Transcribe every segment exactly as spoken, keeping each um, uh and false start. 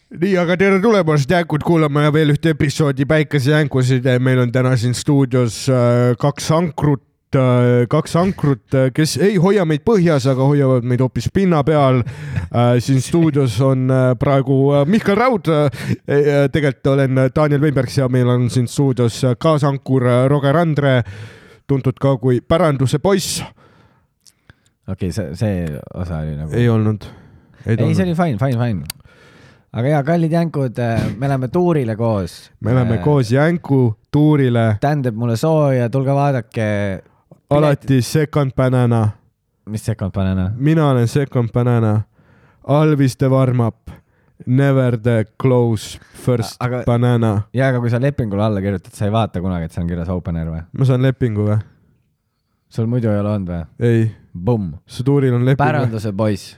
nii, aga tere tulemast jänkud kuulama ja veel ühte episoodi Päikesejänkusid. Meil on täna siin stuudios kaks ankrut, kaks ankrut, kes ei hoia meid põhjas, aga hoiavad meid hoopis pinna peal. Siin stuudios on praegu Mihkel Raud. Tegelikult olen Daniel Weinbergs ja meil on siin stuudios kaasankur Roger Andre, tuntud ka kui päranduse poiss. Okei, okay, see, see osa oli nagu... Ei olnud. Ei, ei see oli fine, fine, fine. Aga ja, kallid jänkud, me oleme tuurile koos. Me oleme äh, koos jänku tuurile. Tähendab mulle sooja, tulge vaadake. Alati second banana. Mis second banana? Mina olen second banana. Always the warm up. Never the close first aga, banana. Ja, aga kui sa lepingule alla kirjutad, sa ei vaata kunagi, et see on kirjas open air või? Ma saan lepingu või? Sul muidu ei ole olnud või? Ei. Bum. Su tuuril on lepingu. Päranduse poiss.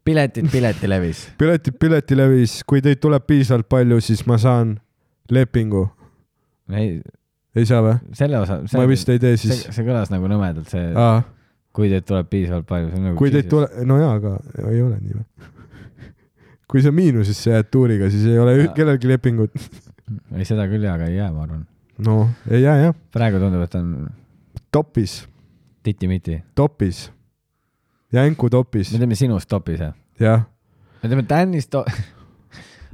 Piletid piletilevis. Piletid piletilevis. Kui teid tuleb piisavalt palju, siis ma saan lepingu. Ei, ei saa või? Selle osa... See, ma vist ei tee siis. See, see kõlas nagu nõmedalt. See, Aa. kui teid tuleb piisavalt palju. See nagu kui teid tule... No jaa, aga ei ole nii või? Kui sa miinusesse jääd tuuriga, siis ei ole ja. Kellelgi lepingut. Ei, seda küll jaa, aga ei jää, ma arvan. No, ei jää, jah. Praegu tundub, et on... Topis. Titi-miti. Topis. Jänku topis. Me teeme sinust topis, jah? Jah. Me teeme Tännis topis.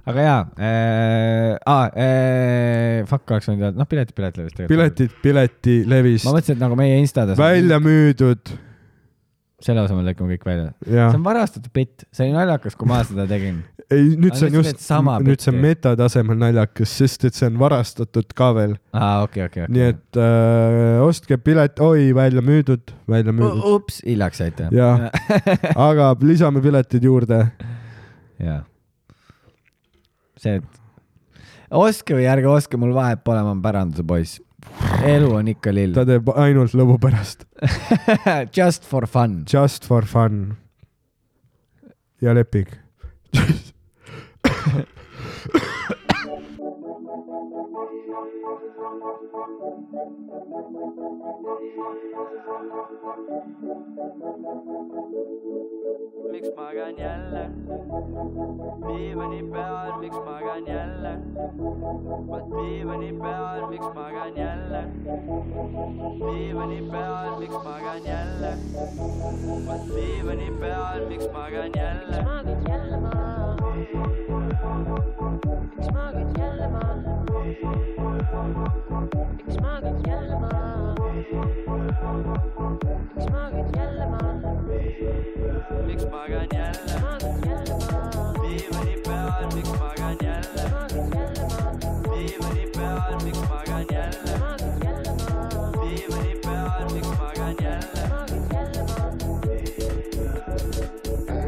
Aga jaa. Äh, ah, äh, fuck, oleks võinud öelda. Noh, piletid piletilevis. Piletid piletilevis. Ma mõtlesin, et nagu meie instades... Välja müüdud. Selle osa me lõikame kõik välja. Ja. See on varastatud bitt. See oli naljakas, kui ma seda tegin. Ei, nüüd see on just, nüüd see on metatasemel naljakas, sest et see on varastatud ka veel. Aa, okei, okei, okei. Nii et äh, ostke pilet, oi, välja müüdud, välja müüdud. Ups, hiljaks saite. Jah, aga lisame piletid juurde. Jaa. See, et oske või ärge oske, mul vahet pole, ma on päranduse poiss. Elu on ikka lill. Ta teeb ainult lõbu pärast. Just for fun. Just for fun. Ja leping. Miks magan jälle? Diivani peal, miks magan jälle? Vaat diivani peal, miks magan jälle? Diivani peal, miks magan jälle? Vaat diivani peal, miks magan jälle? Miks magad jälle maa? Miks magad jälle maa? Miks magad jälle maa? Miks magad jälle maa? Miks magan jälle? Magad jälle maa? Diivani peal, miks magan jälle? Magad jälle maa? Diivani peal, miks magan jälle? Magad jälle maa? Diivani peal,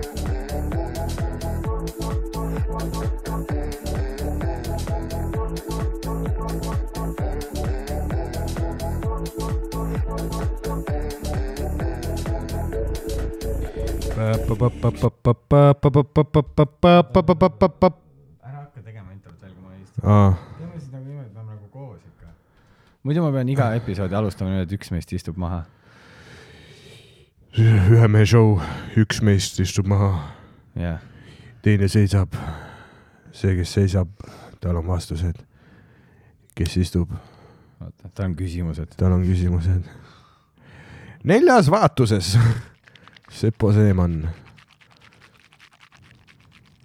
miks magan jälle? Magad jälle maa? Ära hakka tegema introt veel, kui ma istun. Teeme siis nagu niimoodi, et me nagu koos ikka. Muidu ma pean iga episoodi alustama nüüd, et üks meist istub maha. Ühe mehe show, üks meist istub maha. Yeah. Teine seisab. See, kes seisab, tal on vastused. Kes istub? Oota, tal on küsimused. Tal on küsimused. Neljas vaatuses. Sepo Seeman.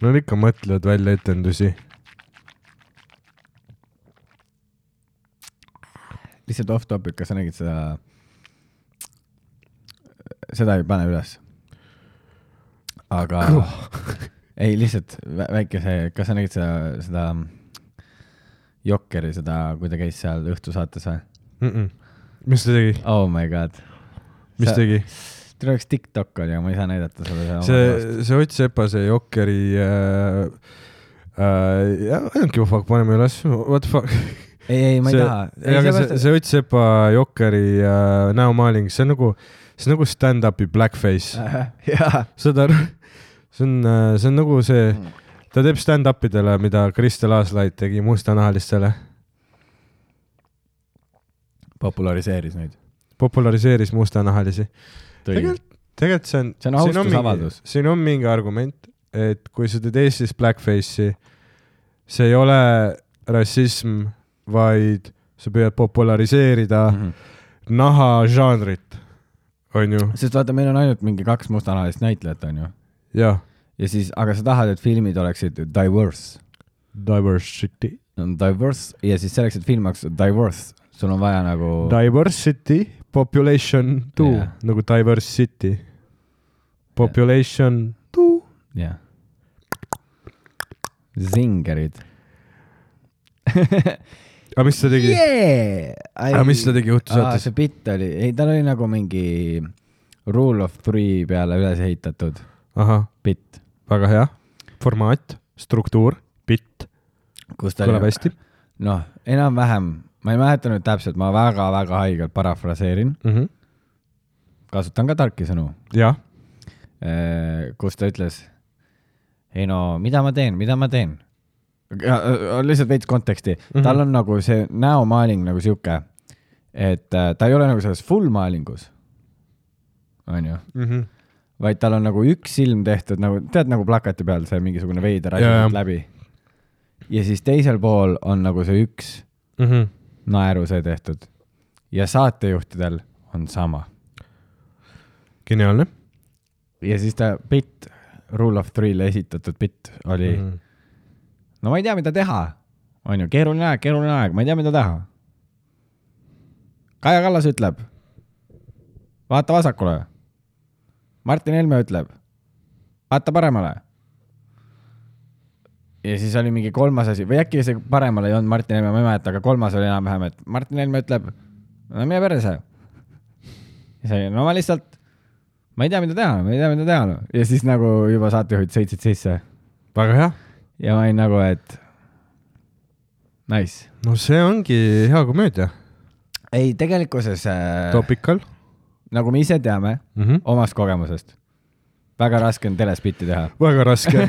No ikka mõtlevad välja etendusi. Lihtsalt off topic, kas sa nägid seda... Seda ei pane üles. Aga... ei, lihtsalt väike see... Kas sa nägid seda... seda Jokkeri, seda, kui ta käis seal õhtusaates või? Mm-mm. Mis ta tegi? Oh my god. Mis sa... tegi? Teil oleks TikTok oli, aga ma ei saa näidata seda. See, see Ott Sepa, see Jokkeri äh, äh, ja, ainult fuck, paneme üles. What the fuck? Ei, ei, ma ei see, taha. Ei, see, see, see Ott Sepa Jokkeri äh, näomaaling, see on nagu, see on nagu stand-upi blackface. Jaa. Seda, see on, see on nagu see, ta teeb stand-upidele, mida Kristel Aaslaid tegi mustanahalistele. Populariseeris neid. Populariseeris mustanahalisi. Tegelikult, tegelikult see on... See on austusavaldus. Siin on mingi argument, et kui sa teed Eestis blackface'i, see ei ole rassism, vaid sa püüad populariseerida mm -hmm. nahažanrit, on ju. Sest vaata, meil on ainult mingi kaks mustanahalist näitlejat, on ju. jah. Ja siis, aga sa tahad, et filmid oleksid diverse. Diversity. Diverse ja siis selleks, et film oleks diverse, sul on vaja nagu... Diversity, population two yeah., nagu diversity. Population yeah. two. jah yeah. Zingerid. aga mis ta tegi yeah!? aga mis ta tegi juhtusaates? see bitt oli, ei tal oli nagu mingi rule of three peale üles ehitatud. ahah, bitt. väga hea formaat, struktuur, bitt. kõlab hästi. noh, enam-vähem, ma ei mäleta nüüd täpselt, ma väga-väga haigelt parafraseerin mm. -hmm. kasutan ka tarki sõnu. jah. kus ta ütles, ei no, mida ma teen, mida ma teen? Lihtsalt veits konteksti. Mm -hmm. Tal on nagu see näomaaling nagu siuke, et ta ei ole nagu selles full maalingus, on ju, mm -hmm. vaid tal on nagu üks silm tehtud, nagu tead, nagu plakati peal see mingisugune veider asi läbi. Ja siis teisel pool on nagu see üks mm -hmm. naeru see tehtud. Ja saatejuhtidel on sama. Geniaalne. Ja siis ta bitt, Rule of Three'le esitatud bitt oli mm -hmm. no ma ei tea, mida teha. On ju, keeruline aeg, keeruline aeg, ma ei tea, mida teha. Kaja Kallas ütleb, vaata vasakule. Martin Helme ütleb, vaata paremale. Ja siis oli mingi kolmas asi, või äkki see paremale ei olnud Martin Helme, ma ei mäleta, aga kolmas oli enam-vähem, et Martin Helme ütleb, no mine perse. Ja see, no ma lihtsalt, ma ei tea, mida teha, ma ei tea, mida teha. No. Ja siis nagu juba saatejuhid sõitsid sisse. Väga hea. Ja ma olin nagu, et nice. No see ongi hea komöödia. Ei, tegelikkuses äh, Topical. Nagu me ise teame mm -hmm. omast kogemusest. Väga raske on telespitti teha. Väga raske.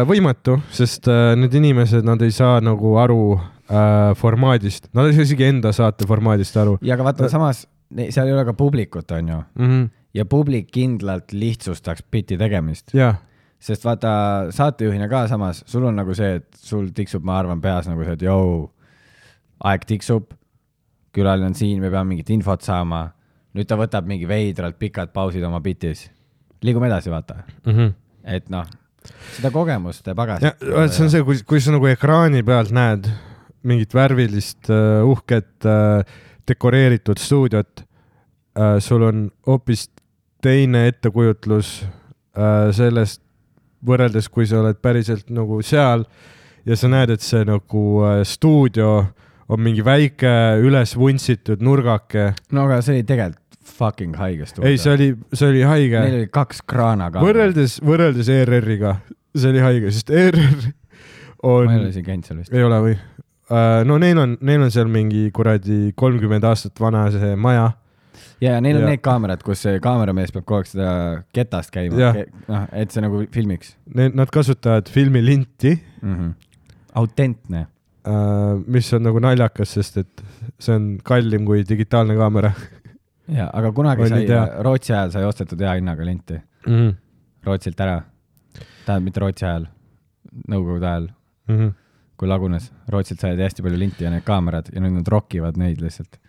Võimatu, sest need inimesed, nad ei saa nagu aru äh, formaadist. Nad ei saa isegi enda saate formaadist aru. Ja aga vaata, samas seal ei ole ka publikut, on ju. Mm -hmm. Ja publik kindlalt lihtsustaks bitti tegemist. Jah. Sest vaata, saatejuhina ka samas, sul on nagu see, et sul tiksub, ma arvan, peas nagu see, et jou, aeg tiksub, külaline on siin, me peame mingit infot saama. Nüüd ta võtab mingi veidralt pikad pausid oma bitis. Liigume edasi, vaata. Mm -hmm. Et noh, seda kogemust pagas. See on see, kui, kui sa nagu ekraani pealt näed mingit värvilist, uh, uhket, uh, dekoreeritud stuudiot, uh, sul on hoopis teine ettekujutlus uh, sellest võrreldes, kui sa oled päriselt nagu seal ja sa näed, et see nagu uh, stuudio on mingi väike üles vuntsitud nurgake. No aga see oli tegelikult fucking haige stuudio. Ei, see oli, see oli haige. Neil oli kaks kraana ka. Võrreldes, võrreldes E R R-iga, see oli haige, sest E R R on... Ma ei ole siin käinud seal vist. Ei ole või? Uh, no neil on, neil on seal mingi kuradi kolmkümmend aastat vana see maja. Ja, ja neil on ja. need kaamerad, kus see kaameramees peab kogu aeg seda ketast käima, Ke, noh, et see nagu filmiks. Nad kasutavad filmilinti. Mm -hmm. Autentne. Uh, mis on nagu naljakas, sest et see on kallim kui digitaalne kaamera. Ja, aga kunagi sai, Rootsi ajal sai ostetud hea hinnaga linti. Mm -hmm. Rootsilt ära. Tähendab, mitte Rootsi ajal, Nõukogude ajal. Mm -hmm. Kui lagunes, Rootsilt sai hästi palju linti ja need kaamerad ja nüüd nad rokivad neid lihtsalt.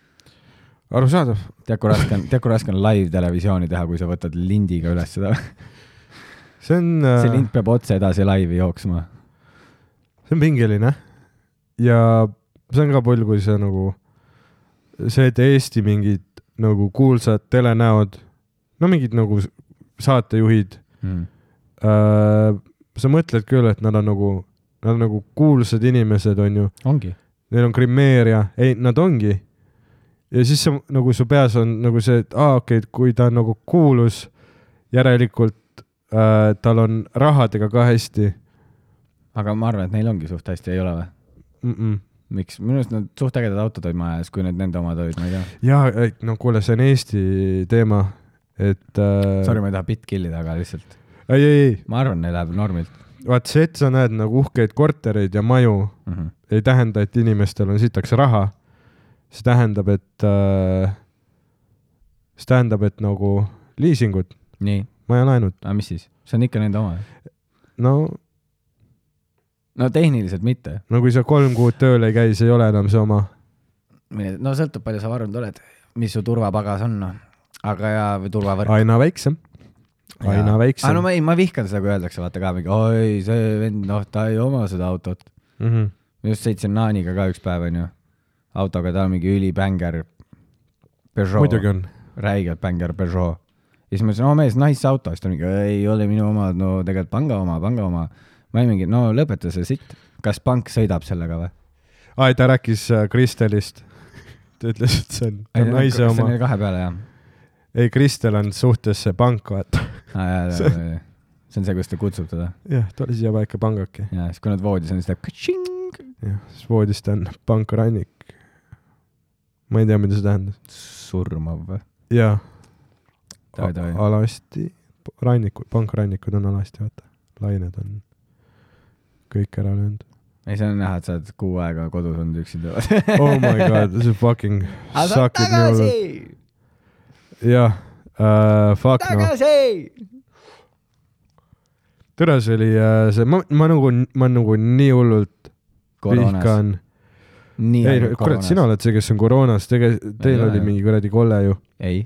Arusaadav. Tead, kui raske on, tead, kui raske on live-televisiooni teha, kui sa võtad lindiga üles seda. See on... Uh... See lind peab otse edasi laivi jooksma. See on pingeline. Ja see on ka pull, kui see nagu... See, et Eesti mingid nagu kuulsad telenäod, no mingid nagu saatejuhid, mm. uh, sa mõtled küll, et nad on nagu, nad on nagu kuulsad inimesed, on ju. Ongi. Neil on grimeeria. Ei, nad ongi. Ja siis see, nagu su peas on nagu see, et aa, okei, okay, kui ta on nagu kuulus, järelikult uh, tal on rahadega ka hästi. Aga ma arvan, et neil ongi suht hästi, ei ole või? Mm -mm. Miks? Minu arust nad suht ägedad autod olid majas, kui need nende omad olid, ma ei tea. Jaa, no kuule, see on Eesti teema, et... Uh... Sorry, ma ei taha bitt killida, aga lihtsalt... Ei, ei, ei. Ma arvan, neil läheb normilt. Vaat see, et sa näed nagu uhkeid kortereid ja maju, mm -hmm. ei tähenda, et inimestel on sitaks raha. See tähendab, et... Uh... See tähendab, et nagu liisingud. Nii. Maja laenud. Aga mis siis? See on ikka nende oma. No... no tehniliselt mitte . no kui sa kolm kuud tööl ei käi , see ei ole enam see oma . no sõltub , palju sa varunud oled , mis su turvapagas on , noh . aga ja , või turvavõrk . aina väiksem , aina aga väiksem no ma ei , ma vihkan seda , kui öeldakse , vaata ka mingi , oi , see vend , noh , ta ei oma seda autot . mm . -hmm. ma just sõitsin Naaniga ka üks päev , onju , autoga , ta on mingi ülibänger . muidugi on . räigelt bänger Peugeot . ja siis ma ütlesin , oo mees , nice auto , siis ta mingi , ei ole minu oma , no tegelikult panga oma , panga oma . ma olin mingi , no lõpeta see sitt , kas pank sõidab sellega või ? aa , ta rääkis äh, Kristelist . ta ütles , et see on, ta on naise see oma on . kahe peale , jah . ei , Kristel on suhtes see pank , vaata . see on see , kus ta kutsub teda . jah , tule siia paika pangake . ja siis , kui nad voodis on , siis teeb katšing . jah , siis voodis ta on pank Rannik . ma ei tea , mida see tähendas . surmav või ? jaa . Toi, toi. alasti , rannikud , pankraannikud on alasti , vaata . lained on kõik ära löönud . ei , see on näha , et sa oled kuu aega kodus olnud üksinda . Oh my god , see fucking suckib nii hullult . jah uh, , fuck noh . tagasi . tere , see oli uh, see , ma , ma nagu , ma nagu nii hullult koroonas . vihkan . nii ei , kurat , sina oled see , kes on koroonas , tege- , teil Ei oli ole. mingi kuradi kolle ju . ei ,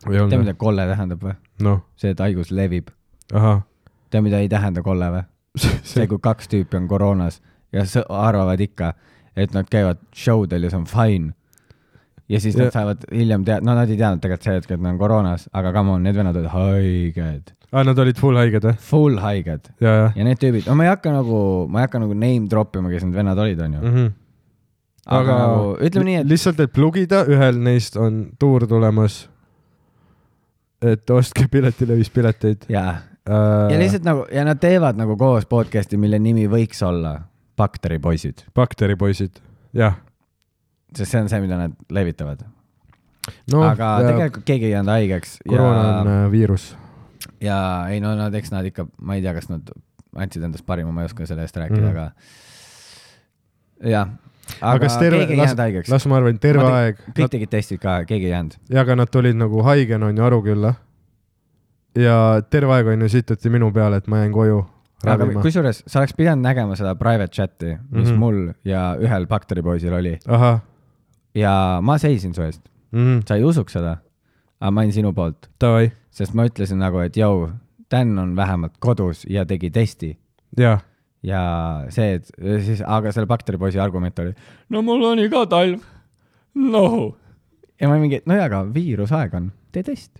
või ei tea , olnud ? mida kolle tähendab või ? noh , see , et haigus levib . ahah . tea , mida ei tähenda kolle või ? see , kui kaks tüüpi on koroonas ja s- arvavad ikka , et nad käivad showdel ja see on fine . ja siis Ja- nad saavad hiljem teada , no nad ei teadnud tegelikult see hetk , et nad on koroonas , aga come on , need vennad olid haiged . aa , nad olid full haiged või ? Full haiged . ja , ja ja need tüübid , no ma ei hakka nagu , ma ei hakka nagu name drop ima , kes need vennad olid , onju . mm . -hmm. aga nagu, ütleme nii, et- lihtsalt , et plugida , ühel neist on tuur tulemas . et ostke Piletilevis pileteid jaa . äh, . ja lihtsalt nagu , ja nad teevad nagu koos podcast'i , mille nimi võiks olla Bakteripoisid , bakteripoisid , jah . sest see on see , mida nad levitavad no, . no aga tegelikult keegi ei jäänud haigeks . koroona on äh, viirus . ja ei no nad , eks nad ikka , ma ei tea , kas nad andsid endast parima , ma ei oska selle eest rääkida mm , Mhm. -hmm. aga jah . aga, aga kas terve , keegi ei las jäänud , haigeks . las ma arvan , terve Ma te- aeg . kõik tegid testid ka , keegi ei jäänud . ja aga nad tulid nagu haigena on ju Arukülla . ja terve aeg on ju sitati minu peale , et ma jäin koju aga ravima . kusjuures sa oleks pidanud nägema seda private chat'i , mis mm Mhm. -hmm. mul ja ühel bakteripoisil oli ahah ja ma seisin su eest , mm, . sa ei usuks seda , aga ma olin sinu poolt , Davai , sest ma ütlesin nagu , et jõu , Dan on vähemalt kodus ja tegi testi jah . ja see , et siis , aga selle bakteripoisi argument oli , no mul oli ka talv , noh . ja ma mingi , no jaa , aga viirusaeg on , tee test ,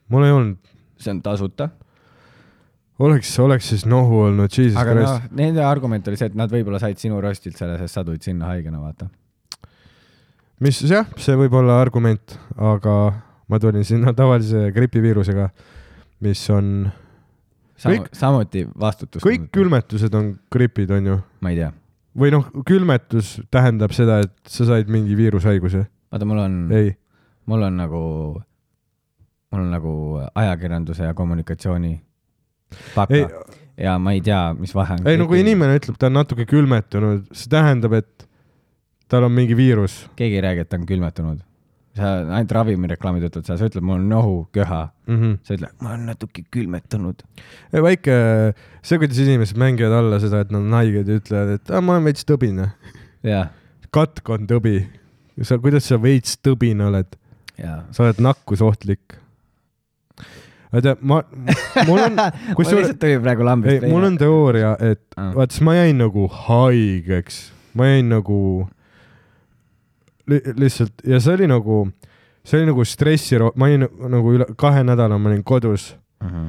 mul ei olnud , see on tasuta . oleks , oleks siis nohu olnud , jesus aga noh christ . , nende argument oli see , et nad võib-olla said sinu rostilt selle , sest sa tulid sinna haigena , vaata . mis jah , see võib olla argument , aga ma tulin sinna tavalise gripiviirusega , mis on , Samu, Kõik- samuti vastutus . kõik . külmetused on gripid , on ju . ma ei tea , või noh , külmetus tähendab seda , et sa said mingi viirushaiguse . vaata , mul on , ei , mul on nagu , mul on nagu ajakirjanduse ja kommunikatsiooni paka ei , ja ma ei tea , mis vahe on . ei no kui inimene ütleb , ta on natuke külmetunud , see tähendab , et tal on mingi viirus keegi ei räägi , et ta on külmetunud . sa ainult ravimireklaamid ütlevad seda , sa ütled , mul on nohu , köha , mm . -hmm. sa ütled , ma olen natuke külmetunud . väike , see , kuidas inimesed mängivad alla seda , et nad on haiged ja ütlevad , et ah, ma olen veits tõbine . jah , katk on tõbi . sa , kuidas sa veits tõbine oled ? jaa . sa oled nakkusohtlik . vaata , ma , mul on , mul kusjuures , lihtsalt tuli praegu lambist . ei , mul on teooria , et Ah. vaata , siis ma jäin nagu haigeks , ma jäin nagu li lihtsalt ja see oli nagu , see oli nagu stressi , ma olin nagu üle kahe nädala , ma olin kodus , uh . -huh.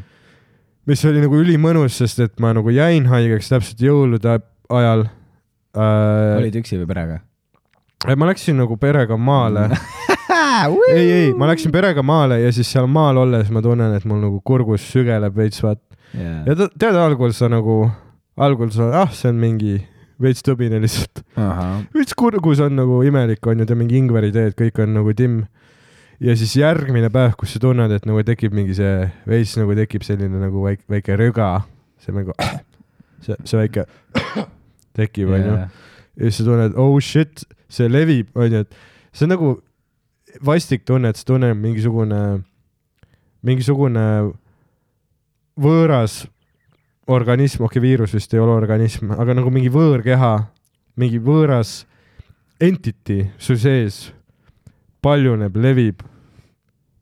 mis oli nagu ülimõnus , sest et ma nagu jäin haigeks täpselt jõulude ajal äh, . olid üksi või perega ? ma läksin nagu perega maale ei , ei , ma läksin perega maale ja siis seal maal olles ma tunnen , et mul nagu kurgus sügeleb veits , vaat . yeah. ja ta- tead , algul sa nagu , algul sa , ah , see on mingi veits tõbine lihtsalt . uh . veits kurgus on nagu imelik on ju , ta mingi ingveriteed , kõik on nagu timm . ja siis järgmine päev , kus sa tunned , et nagu tekib mingi see , veits nagu tekib selline nagu väike , väike röga , see nagu , see , see väike tekib on ju . ja siis sa tunned , oh shit , see levib , on ju , et see on nagu vastik tunne , et sa tunned mingisugune , mingisugune võõras organism, okei okay, viirus vist ei ole organism, aga nagu mingi võõrkeha, mingi võõras entity su sees paljuneb, levib,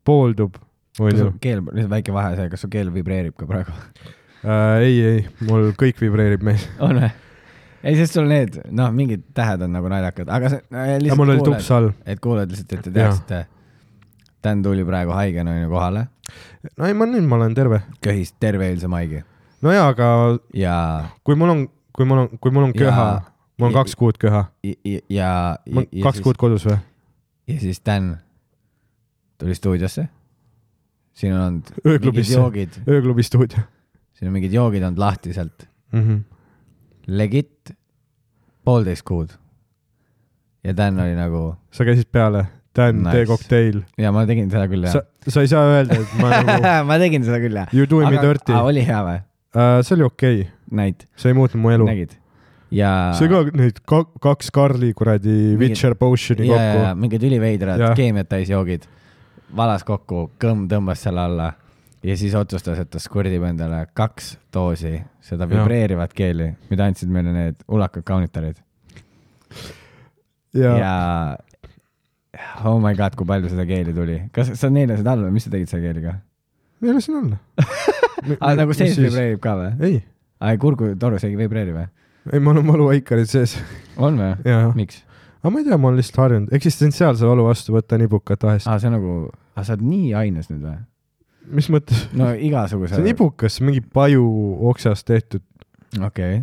pooldub. kas su keel, väike vahe see, kas su keel vibreerib ka praegu? Äh, ei, ei, mul kõik vibreerib meil. On või? Ei, sest sul need, noh, mingid tähed on nagu naljakad, aga see no, ja mul oli tups all. Et kuuled lihtsalt, et te teaksite, Dan tuli praegu haigena on ju kohale. No ei, ma nüüd ma olen terve. Köhis terve eilse maigi. No jaa, aga ja... kui mul on, kui mul on, kui mul on köha, ja... mul on kaks kuud köha. Ja, ja, ja, ja kaks siis, kuud kodus või? Ja siis Dan tuli stuudiosse. Siin on olnud mingid joogid. Ööklubi stuudio. Siin on mingid joogid olnud lahti sealt. Mm-hmm. Legit poolteist kuud. Ja Dan oli nagu... Sa käisid peale. Dan, nice. Tee kokteil. Ja ma tegin seda küll, jah. Sa, sa ei saa öelda, et ma nagu... ma tegin seda küll, jah. You doing me dirty. Aga oli hea või? Uh, see oli okei. Okay. Näid. See ei muutnud mu elu. Nägid. Ja... See ka neid ka, kaks Karli kuradi Witcher potioni ja, kokku. Ja, mingid üliveidrad keemiat täis joogid. Valas kokku, kõmm tõmbas selle alla ja siis otsustas, et ta skurdib endale kaks doosi seda vibreerivat keeli, mida andsid meile need ulakad kaunitarid. Ja... ja oh my god, kui palju seda keeli tuli. Kas sa neelasid alla või mis sa tegid selle keeliga? Neelasin alla. Aga nagu sees vibreerib ka või? Ei. Aga kurgu torus ei vibreeri või? Ei, ma olen valuaikarid sees. On või? Miks? Aga ma ei tea, ma olen lihtsalt harjunud. Eksistentsiaalse valu vastu võtta nibukat vahest. Aa, see on nagu... Aa, sa oled nii aines nüüd või? Mis mõttes? No igasuguse... See on nibukas, mingi paju oksast tehtud. Okei. Okay.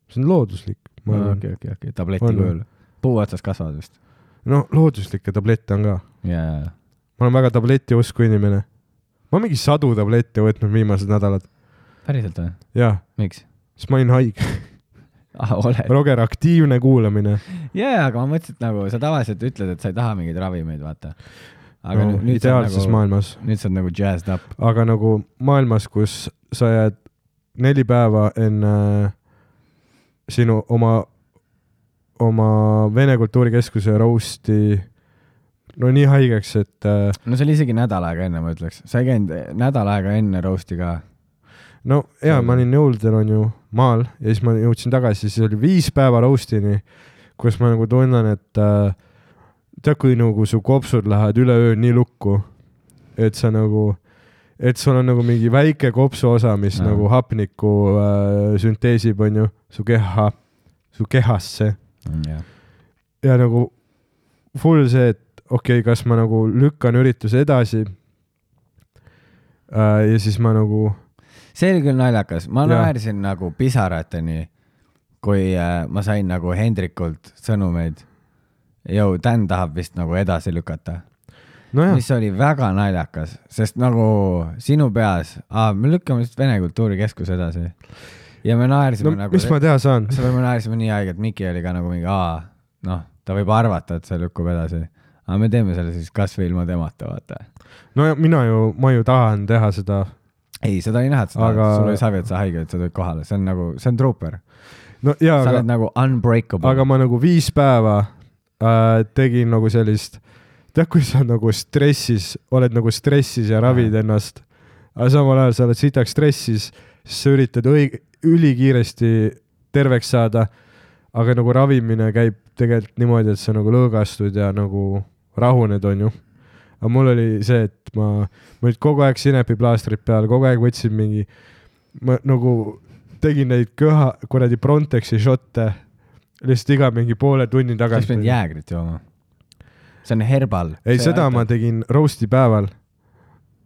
See on looduslik. Okei, okei, okei, okei. Tableti kujul. Puu otsas kasvad vist. No, looduslikke tablette on ka. Jaa, jaa. Ma olen väga tableti usku inimene. Ma olen mingi sadu tablette võtnud viimased nädalad. Päriselt või? Jaa. Miks? Sest ma olin haig. Ah, oled. Roger, aktiivne kuulamine. Jaa, aga ma mõtlesin, et nagu sa tavaliselt ütled, et sa ei taha mingeid ravimeid, vaata. Aga no, nüüd ideaalses nagu, maailmas. Nüüd sa oled nagu jazzed up. Aga nagu maailmas, kus sa jääd neli päeva enne sinu oma, oma Vene kultuurikeskuse roasti no nii haigeks, et... No see oli isegi nädal aega enne, ma ütleks. Sa ei käinud nädal aega enne roasti ka. No jaa, ma olin jõuldel on ju maal ja siis ma jõudsin tagasi, siis oli viis päeva roastini, kus ma nagu tunnen, et äh, tead, kui nagu su kopsud lähevad üle öö nii lukku, et sa nagu, et sul on nagu mingi väike kopsu osa, mis no. nagu hapniku äh, sünteesib on ju su keha, su kehasse. Yeah. Ja nagu full see, et okei, okay, kas ma nagu lükkan ürituse edasi äh, ja siis ma nagu see oli küll naljakas. Ma naersin nagu pisarateni, kui äh, ma sain nagu Hendrikult sõnumeid. Jou, Dan tahab vist nagu edasi lükata. No mis oli väga naljakas, sest nagu sinu peas, aa, me lükkame vist Vene kultuurikeskus edasi. Ja me naersime no, nagu... mis ma teha saan? Me naersime nii aeg, et Miki oli ka nagu mingi, aa, noh, ta võib arvata, et see lükkub edasi. Aga me teeme selle siis kas või ilma temata, vaata. No ja mina ju, ma ju tahan teha seda... Ei, seda ei näha, et seda, aga... sul ei savi, et sa haige, et sa tulid kohale. See on nagu, see on trooper. No, jaa, sa aga... oled nagu unbreakable. Aga ma nagu viis päeva äh, tegin nagu sellist, tead, kui sa nagu stressis, oled nagu stressis ja ravid ja. ennast, aga samal ajal sa oled sitaks stressis, siis sa üritad õig- ülikiiresti terveks saada, aga nagu ravimine käib tegelikult niimoodi, et sa nagu lõõgastud ja nagu rahuned on ju. Aga mul oli see, et ma, ma nüüd kogu aeg sinepiplaastrid peal, kogu aeg võtsin mingi, ma nagu tegin neid köha, kuradi Brontexi šotte, lihtsalt iga mingi poole tunni tagasi. Sa pidid jäägrit jooma. See on herbal. Ei, see seda ma tegin roasti päeval.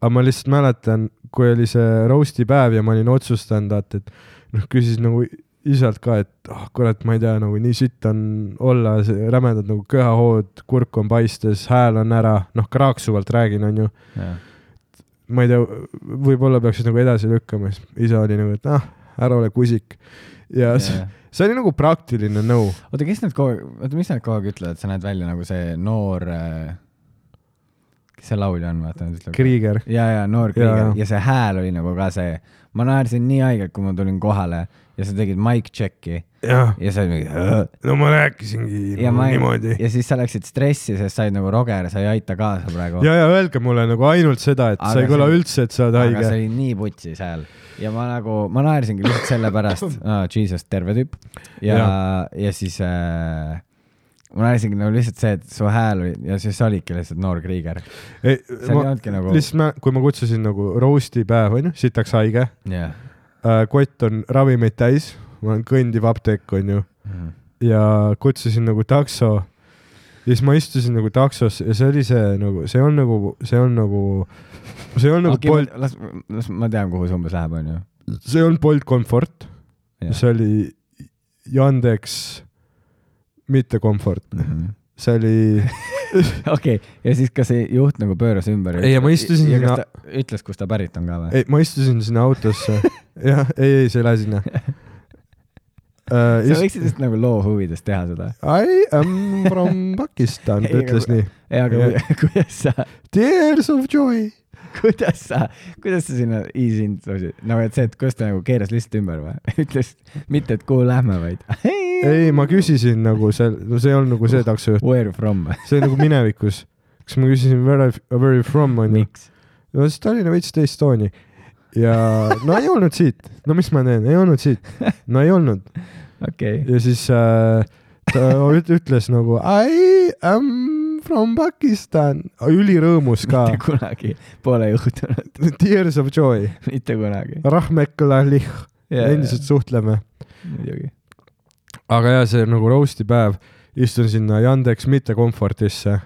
Aga ma lihtsalt mäletan, kui oli see roasti päev ja ma olin otsustanud, et noh, küsis nagu isalt ka, et oh, kurat, ma ei tea, nagu nii sitt on olla, rämedad nagu köhahood, kurk on paistes, hääl on ära, noh, kraaksuvalt räägin, on ju. Ja. Ma ei tea, võib-olla peaks nagu edasi lükkama, isa oli nagu, et ah, ära ole kusik. Ja, ja see, see oli nagu praktiline nõu. Oota, kes need kogu, oota, mis need kogu aeg ütlevad, et sa näed välja nagu see noor, kes see laulja on, vaata nüüd ütleb. Krieger. ja, ja noor Krieger Ja. ja. ja see hääl oli nagu ka see, ma naersin nii haigelt, kui ma tulin kohale ja sa tegid mic check'i jah, ja sa olid mingi no ma rääkisingi ja, no, ma, niimoodi. ja siis sa läksid stressi, sest said nagu Roger, sa ei aita kaasa praegu. ja, ja öelge mulle nagu ainult seda, et Aga sa ei kõla see- üldse, et sa oled aga haige. see oli nii putsis hääl ja ma nagu, ma naersingi lihtsalt sellepärast oh, Jesus, terve tüüp ja, ja. ja siis äh, ma naersingi nagu lihtsalt see, et su hääl oli ja siis olidki lihtsalt noor Krieger. Ei, see ei ma, olnudki nagu lihtsalt ma, kui ma kutsusin nagu roasti päev, on ju, sitaks haige, yeah. äh, kott on ravimeid täis, ma olen kõndiv apteek, on ju, mm. ja kutsusin nagu takso ja siis ma istusin nagu taksos ja see oli see nagu, see on nagu, see on nagu, see on nagu okay, Bolt, las, las ma tean, kuhu see umbes läheb, on ju. see on Bolt Comfort, Yeah. see oli Yandex mitte Comfort, Mm -hmm. see oli okei okay. Ja siis kas see juht nagu pööras ümber? Ei, ja ma istusin ja sinna- kas ta ütles, kust ta pärit on ka või? ei, ma istusin sinna autosse jah, ei, ei, see ei lähe sinna uh, sa võiksid just nagu loo huvides teha seda. I am from Pakistan, ta Ei, ütles aga- nii. ei, aga Ja. kuidas sa Tears of joy. kuidas sa, kuidas sa sinna easy introsid, nagu et see, et kuidas ta nagu keeras lihtsalt ümber või? ütles mitte, et kuhu lähme, vaid ei, ma küsisin nagu see, no see on nagu see taksojuht, where from? see on nagu minevikus. kas ma küsisin where, where you from on ju? miks? no siis Tallinna veits teist tooni. ja no ei olnud siit. no mis ma teen, ei olnud siit. no ei olnud. okei okay. ja siis äh, ta üt- ütles nagu I am from Pakistan. Ülirõõmus ka. mitte kunagi pole juhtunud. Tears of joy. mitte kunagi. Rahmeklalih. endiselt suhtleme. muidugi. aga jah, see nagu roasti päev. Istun sinna Yandex mitte Comfortisse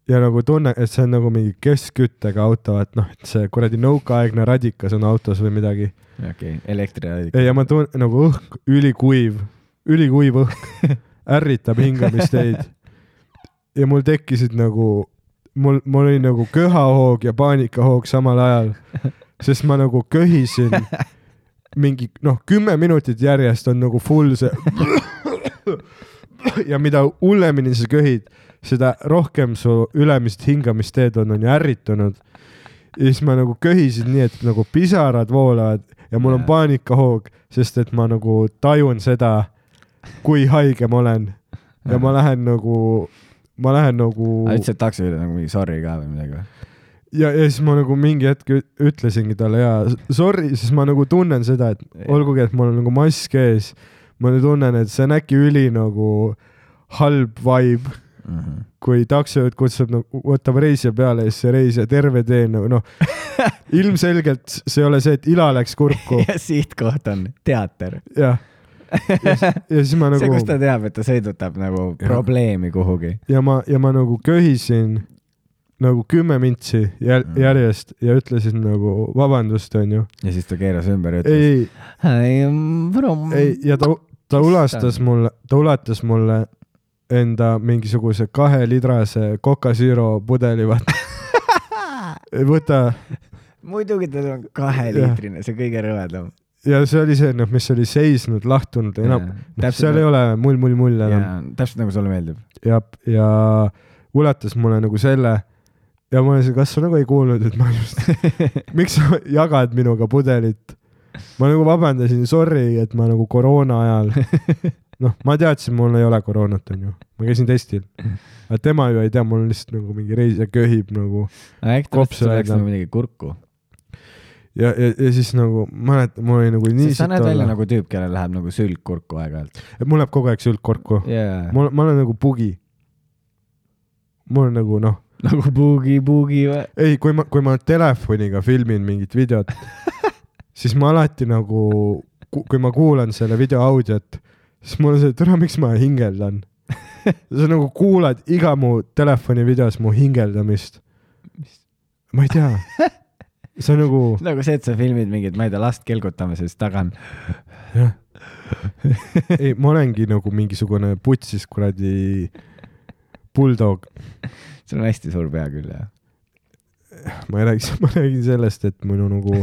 ja nagu tunne, et see on nagu mingi keskküttega auto, et noh, et see kuradi nõukaaegne radikas on autos või midagi. okei okay. Elektriradika. ja ma tunnen nagu õhk, ülikuiv, ülikuiv õhk ärritab hingamisteid. ja mul tekkisid nagu, mul, mul oli nagu köhahoog ja paanikahoog samal ajal, sest ma nagu köhisin mingi, noh, kümme minutit järjest on nagu full see ja mida hullemini sa köhid, seda rohkem su ülemist hingamisteed on, on ju ärritunud. Ja siis ma nagu köhisin nii, et nagu pisarad voolavad ja mul on paanikahoog, sest et ma nagu tajun seda, kui haige ma olen. Ja ma lähen nagu, ma lähen nagu... aga ütlesid taksojuhile nagu mingi sorry ka või midagi või? Ja, ja siis ma nagu mingi hetk ütlesingi talle ja sorry, siis ma nagu tunnen seda, et olgugi, et mul on nagu mask ees, ma tunnen, et see on äkki üli nagu halb vibe, mm -hmm. kui taksojuht kutsub, nagu, võtab reisija peale ja siis see reisija terve tee nagu noh, ilmselgelt see ei ole see, et ila läks kurku. ja siit koht on teater. jah. Ja, ja siis ma nagu... see, kus ta teab, et ta sõidutab nagu ja. probleemi kuhugi. Ja ma, ja ma nagu köhisin nagu kümme mintsi jäl, järjest ja ütlesin nagu vabandust, on ju. Ja siis ta keeras ümber ja ütles ei, I am from... ei, ja ta, ta ulastas mulle, ta ulatas mulle enda mingisuguse kahe lidrase Coca Zero pudeli, vaata. võta. muidugi tal on kaheliitrine, see kõige rõvedam. Ja see oli see, noh, mis oli seisnud, lahtunud, enam, no, seal ei ole mull, mull, mull enam. Täpselt nagu sulle meeldib. Ja, ja ulatas mulle nagu selle ja ma olen, kas sa nagu ei kuulnud, et ma just, miks sa jagad minuga pudelit? Ma nagu vabandasin, sorry, et ma nagu koroona ajal, noh, ma teadsin, mul ei ole koroonat, on ju. Ma käisin testil. Aga tema ju ei tea, mul on lihtsalt nagu mingi reis ja köhib nagu kopsu. Äkki läks nagu midagi kurku. Ja, ja, ja siis nagu, ma näed, mul oli nagu nii siis sa näed välja nagu tüüp, kellel läheb nagu sülg kurku aeg-ajalt. Mul läheb kogu aeg sülg kurku. Yeah. Mul, ma olen nagu bugi. Mul on nagu, noh. Nagu bugi, bugi või? Ei, kui ma, kui ma telefoniga filmin mingit videot, siis ma alati nagu, kui ma kuulan selle video audiot, siis mul on see, et ära, miks ma hingeldan. Sa nagu kuulad iga mu telefoni videos mu hingeldamist. Ma ei tea. See on nagu... Nagu see, et sa filmid mingit, ma ei tea, last kelgutame, siis taga on. Jah. Ei, ma olengi nagu mingisugune putsis kuradi bulldog. See on hästi suur pea küll, jah. Ma ei räägi, ma räägin sellest, et minu nagu...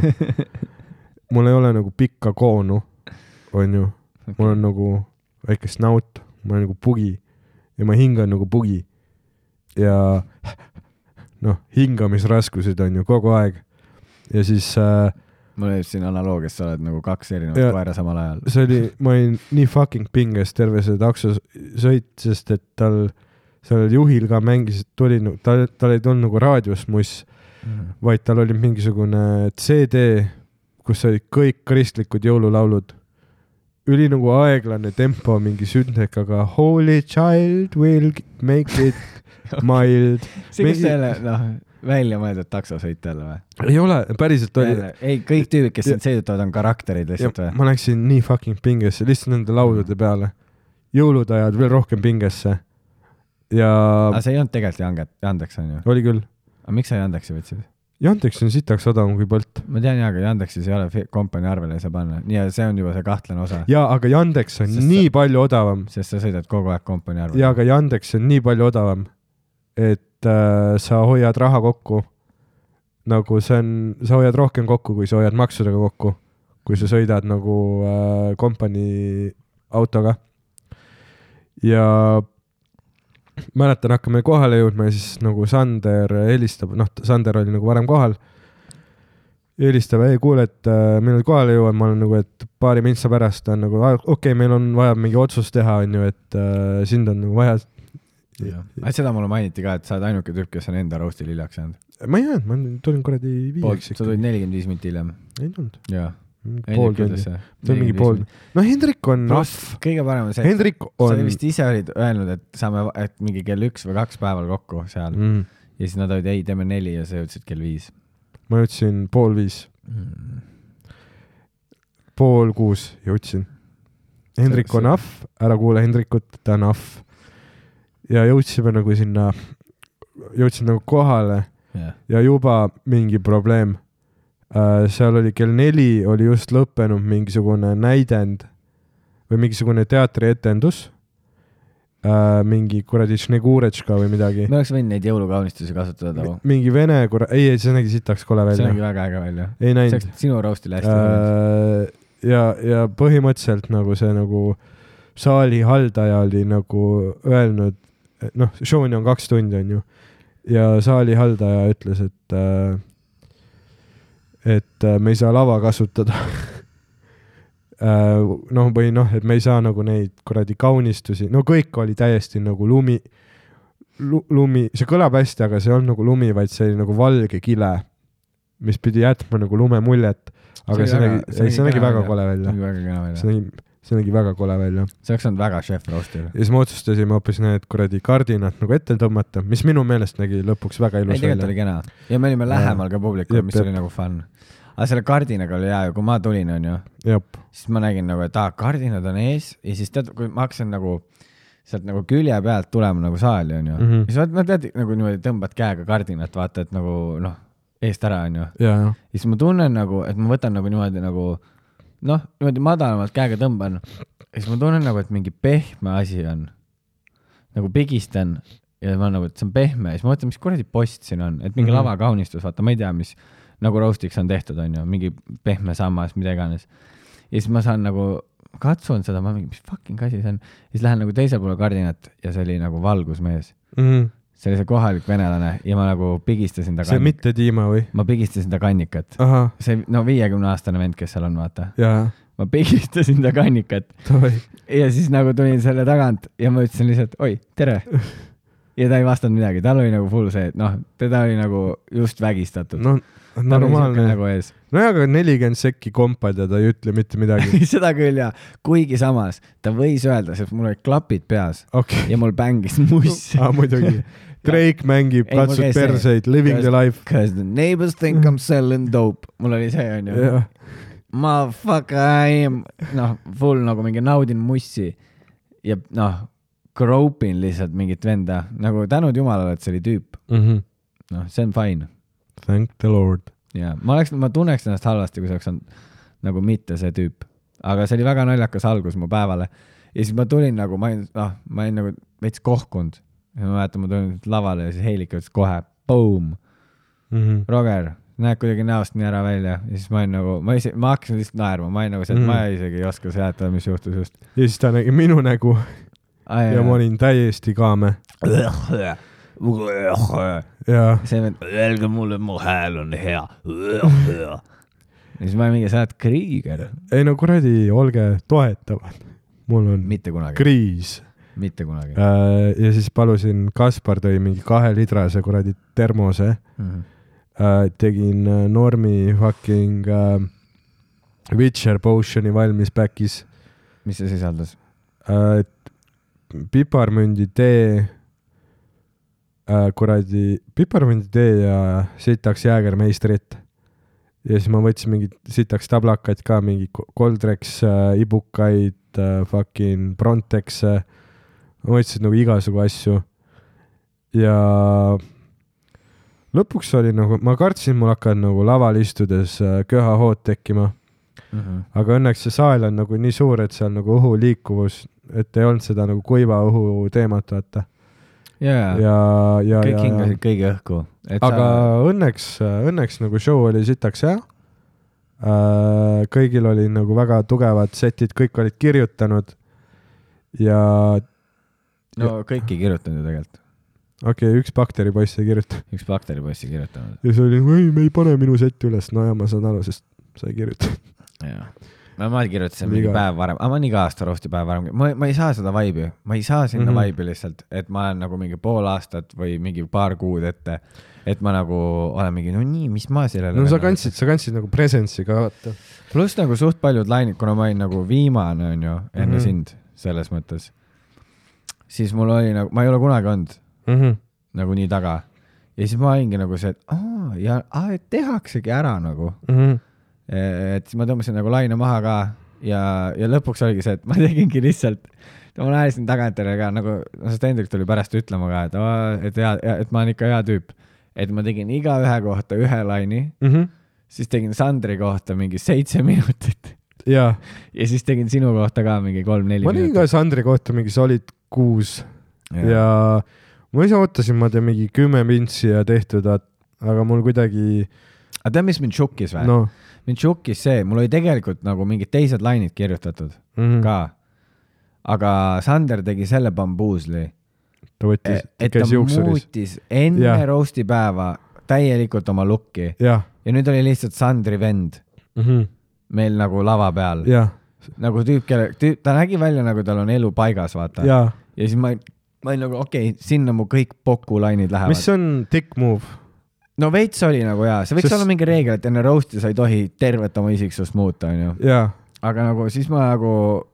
mul ei ole nagu pikka koonu, on ju. Mul on nagu väike snout, ma olen nagu bugi ja ma hingan nagu bugi. Ja noh , hingamisraskused on ju kogu aeg ja siis äh, mul oli siin analoogias, sa oled nagu kaks erinevat Ja- koera samal ajal . see oli , ma olin nii fucking pinges terve see taksosõit , sest et tal , sellel juhil ka mängis , tuli , tal , tal ei tulnud nagu raadios muss , vaid tal oli mingisugune C D , kus olid kõik kristlikud jõululaulud . üli nagu aeglane tempo mingi sündekaga Holy child will make it mild . see , kas Mingi- selle , noh , välja mõeldud taksosõit jälle või ? ei ole , päriselt oli . ei , kõik tüübid , kes sind sõidutavad , on karakterid lihtsalt või ? ma läksin nii fucking pingesse lihtsalt nende laulude peale . jõulud ajad veel rohkem pingesse . ja aga see ei olnud tegelikult Janget , Yandeks on ju . oli küll . aga miks sa Yandeksi võtsid ? Yandex on sitaks odavam kui Bolt . ma tean jaa , aga Yandeksis ei ole fi- kompanii arvele ei saa panna . nii , see on juba see kahtlane osa , jaa , aga Yandex on Sest Sest nii sa... palju odavam sest sa sõidad kogu aeg kompanii arvele . ja aga Yandex on nii palju odavam , et äh, sa hoiad raha kokku . nagu see on , sa hoiad rohkem kokku , kui sa hoiad maksudega kokku , kui sa sõidad nagu äh, kompanii autoga . ja mäletan , hakkame kohale jõudma ja siis nagu Sander helistab , noh , Sander oli nagu varem kohal . helistab , ei kuule , et äh, millal kohale jõuan , ma olen nagu , et paari mintsa pärast on nagu , okei okay, , meil on vaja mingi otsus teha , on ju , et äh, sind on nagu vaja . aga seda mulle mainiti ka , et sa oled ainuke tüüp , kes on enda roast'i liljaks jäänud . ma ei jäänud , ma tulin kuradi viieks sa tulid nelikümmend viis minti hiljem . ei tulnud , jaa . pool tundi , see on mingi pool . no Hendrik on Pluss kõige parem on see , Hendrik sa on vist ise olid öelnud , et saame , et mingi kell üks või kaks päeval kokku seal mm, , ja siis nad olid , ei , teeme neli ja sa jõudsid kell viis ma jõudsin pool viis , mm. . pool kuus jõudsin . Hendrik See- on ahv , ära kuule Hendrikut , ta on ahv . ja jõudsime nagu sinna , jõudsin nagu kohale Yeah. ja juba mingi probleem äh, . seal oli kell neli oli just lõppenud mingisugune näidend või mingisugune teatrietendus äh, . mingi kuradi Šneguretška või midagi . me oleks võinud neid jõulukaunistusi kasutada too . mingi vene kura- , ei , ei see nägi sitaks kole see välja nägi . väga äge välja . ei see näinud oleks sinu roast'ile hästi äh, . äh, . ja , ja põhimõtteliselt nagu see nagu saali haldaja oli nagu öelnud , noh , show'ni on kaks tundi , on ju . ja saali haldaja ütles , et äh, et äh, me ei saa lava kasutada äh, . noh , või noh , et me ei saa nagu neid kuradi kaunistusi , no kõik oli täiesti nagu lumi lu, , lumi , see kõlab hästi , aga see ei olnud nagu lumi , vaid see oli nagu valge kile , mis pidi jätma nagu lume muljet , aga see, see nägi , see, see nägi väga kole välja . see nägi väga kena välja . see nägi , see nägi väga kole välja . see oleks olnud väga chef roast'il . ja siis me otsustasime hoopis need kuradi kardinad nagu ette tõmmata , mis minu meelest nägi lõpuks väga ei , ilus tegelikult oli välja . kena . ja me olime lähemal ka publikule , Jep, mis jep. oli nagu fun . aga selle kardinaga oli hea ju , kui ma tulin , onju , jah , siis ma nägin nagu , et aa , kardinad on ees ja siis tead , kui ma hakkasin nagu sealt nagu külje pealt tulema nagu saali , onju mm . Mhm. -hmm. siis vaat- ma tead nagu niimoodi tõmbad käega kardinat , vaata , et nagu noh , eest ära , onju . ja , ja , siis ma tunnen nagu , et ma võtan nagu niimoodi nagu noh , niimoodi madalamalt käega tõmban ja siis ma tunnen nagu , et mingi pehme asi on . nagu pigistan ja ma nagu , et see on pehme ja siis ma mõtlen , mis kuradi post siin on , et mingi mm Mhm. -hmm. lavakaunistus , vaata , ma ei tea , mis nagu roast'iks on tehtud , onju , mingi pehme sammas , mida iganes . ja siis ma saan nagu , katsun seda , ma mingi , mis fucking asi see on . siis lähen nagu teisele poole kardinat ja see oli nagu valgusmees . mm . see oli see kohalik venelane ja ma nagu pigistasin ta see kannikat . mitte Dima või ? ma pigistasin ta kannikat . ahah , see , no viiekümne aastane vend , kes seal on , vaata . ja , ma pigistasin ta kannikat davai , ja siis nagu tulin selle tagant ja ma ütlesin lihtsalt , oi , tere . ja ta ei vastanud midagi , tal oli nagu full see , et noh , teda oli nagu just vägistatud . no normaalne . nagu ees . nojah , aga nelikümmend sekki kompad ja ta ei ütle mitte midagi . seda küll ja , kuigi samas ta võis öelda , sest mul olid klapid peas okei , ja mul bängis muss . aa muidugi . Drake mängib , Ei, mul katsub käis see- perseid , living the life . Cause the neighbors think I m selling dope . mul oli see onju . jah , Motherfucker I am , noh , full nagu mingi naudin mussi ja noh , gropin lihtsalt mingit venda , nagu tänud jumalale , et see oli tüüp . noh , see on fine . thank the lord . ja ma oleks , ma tunneks ennast halvasti , kui see oleks olnud nagu mitte see tüüp , aga see oli väga naljakas algus mu päevale ja siis ma tulin nagu , ma olin , noh , ma olin nagu veits kohkunud ja ma mäletan , ma tulin lavale ja siis Heilik ütles kohe , boom , Roger , näed kuidagi näost nii ära välja ja siis ma olin nagu , ma ise , ma hakkasin lihtsalt naerma , ma olin nagu see , et Mhm. ma isegi ei oska seletada , mis juhtus just . ja siis ta nägi minu nägu ja ma olin täiesti kaame . jaa , see vend , öelge mulle , mu hääl on hea . ja siis ma mingi , sa oled Krieger . ei no kuradi , olge toetavad , mul on mitte kunagi , kriis mitte kunagi . äh, ja siis palusin , Kaspar tõi mingi kahelitrase kuradi termose Mhm. äh, , tegin äh, Normi fucking äh, Witcher potion'i valmis back'is mis see sisaldas ? äh, , piparmündi tee äh, , kuradi piparmündi tee ja sitaks jäägermeistrit ja siis ma võtsin mingid sitaks tablakaid ka , mingi Coldrex äh, ibukaid äh, , fucking Brontexe , ma võtsin nagu igasugu asju ja lõpuks oli nagu , ma kartsin , mul hakkavad nagu laval istudes äh, köhahood tekkima , aga õnneks see saal on nagu nii suur , et seal nagu õhu liikuvus , et ei olnud seda nagu kuiva õhu teemat , vaata . jaa , ja , ja , kõik ja , hingasid kõigi õhku . aga sa... õnneks , õnneks nagu show oli sitaks hea . kõigil oli nagu väga tugevad setid , kõik olid kirjutanud ja no kõik ei kirjutanud ju tegelikult . okei okay, , üks bakteripoiss ei kirjuta üks bakteripoiss ei kirjutanud . ja see oli , ei , me ei pane minu setti üles , no ja ma saan aru , sest sa ei kirjuta . jaa . no ma kirjutasin mingi Liga. päev varem , aga ma olen iga aasta roasti päev varem , ma , ma ei saa seda vibe'i , ma ei saa sinna mm Mhm. -hmm. vibe'i lihtsalt , et ma olen nagu mingi pool aastat või mingi paar kuud ette , et ma nagu olen mingi , no nii , mis ma sellele no sa kandsid , sa kandsid nagu presence'i ka , vaata . pluss nagu suht paljud lainid , kuna ma olin nagu viimane , on ju , enne mm Mhm. -hmm. sind selles mõttes , siis mul oli nagu , ma ei ole kunagi olnud mm . -hmm. nagu nii taga ja siis ma olingi nagu see , et aa , ja aa, et tehaksegi ära nagu , Mm -hmm. et siis ma tõmbasin nagu laine maha ka ja , ja lõpuks oligi see , et ma tegingi lihtsalt , ma naersin tagantjärele ka nagu , no see Hendrik tuli pärast ütlema ka , et aa, et hea , et ma olen ikka hea tüüp , et ma tegin igaühe kohta ühe laini , Mm -hmm. siis tegin Sandri kohta mingi seitse minutit ja ja siis tegin sinu kohta ka mingi kolm-neli ma tegin ka Sandri kohta mingi solid kuus ja, ja ma ise ootasin , ma teen mingi kümme mintsi ja tehtud , aga mul kuidagi aga tead , mis mind šokkis või no. ? noh mind šokkis see , mul oli tegelikult nagu mingid teised lainid kirjutatud mm -hmm. ka , aga Sander tegi selle bambuusli , ta võttis , et ta käis juuksuris . muutis enne Jah. roasti päeva täielikult oma lukki jah ja nüüd oli lihtsalt Sandri vend mm -hmm. meil nagu lava peal , jah , nagu tüüp , kelle , ta nägi välja nagu tal on elu paigas , vaata . ja ja siis ma , ma olin nagu okei okay,, sinna mu kõik pokulainid lähevad . mis on dick move ? no veits oli nagu jaa , see võiks Sest- olla mingi reegel , et enne roast'i sa ei tohi tervet oma isiksust muuta , onju . jaa aga nagu siis ma nagu ,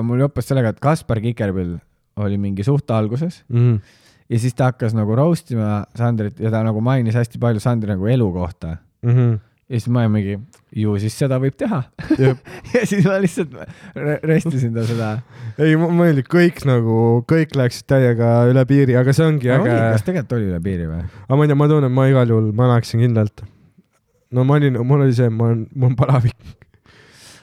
mul joppas sellega , et Kaspar Kikerpill oli mingi suht alguses mm . -hmm. ja siis ta hakkas nagu roast ima Sandrit ja ta nagu mainis hästi palju Sandri nagu elu kohta . Mm -hmm. ja siis ma olin mingi , ju siis seda võib teha . ja siis ma lihtsalt re- restisin ta seda . ei , ma mõeldi , kõik nagu , kõik läksid täiega üle piiri , aga see ongi äge . kas tegelikult oli üle piiri või ? aga ma ei tea , ma tunnen , ma igal juhul , ma läheksin kindlalt . no ma olin , mul oli see , ma olen , mul on palavik .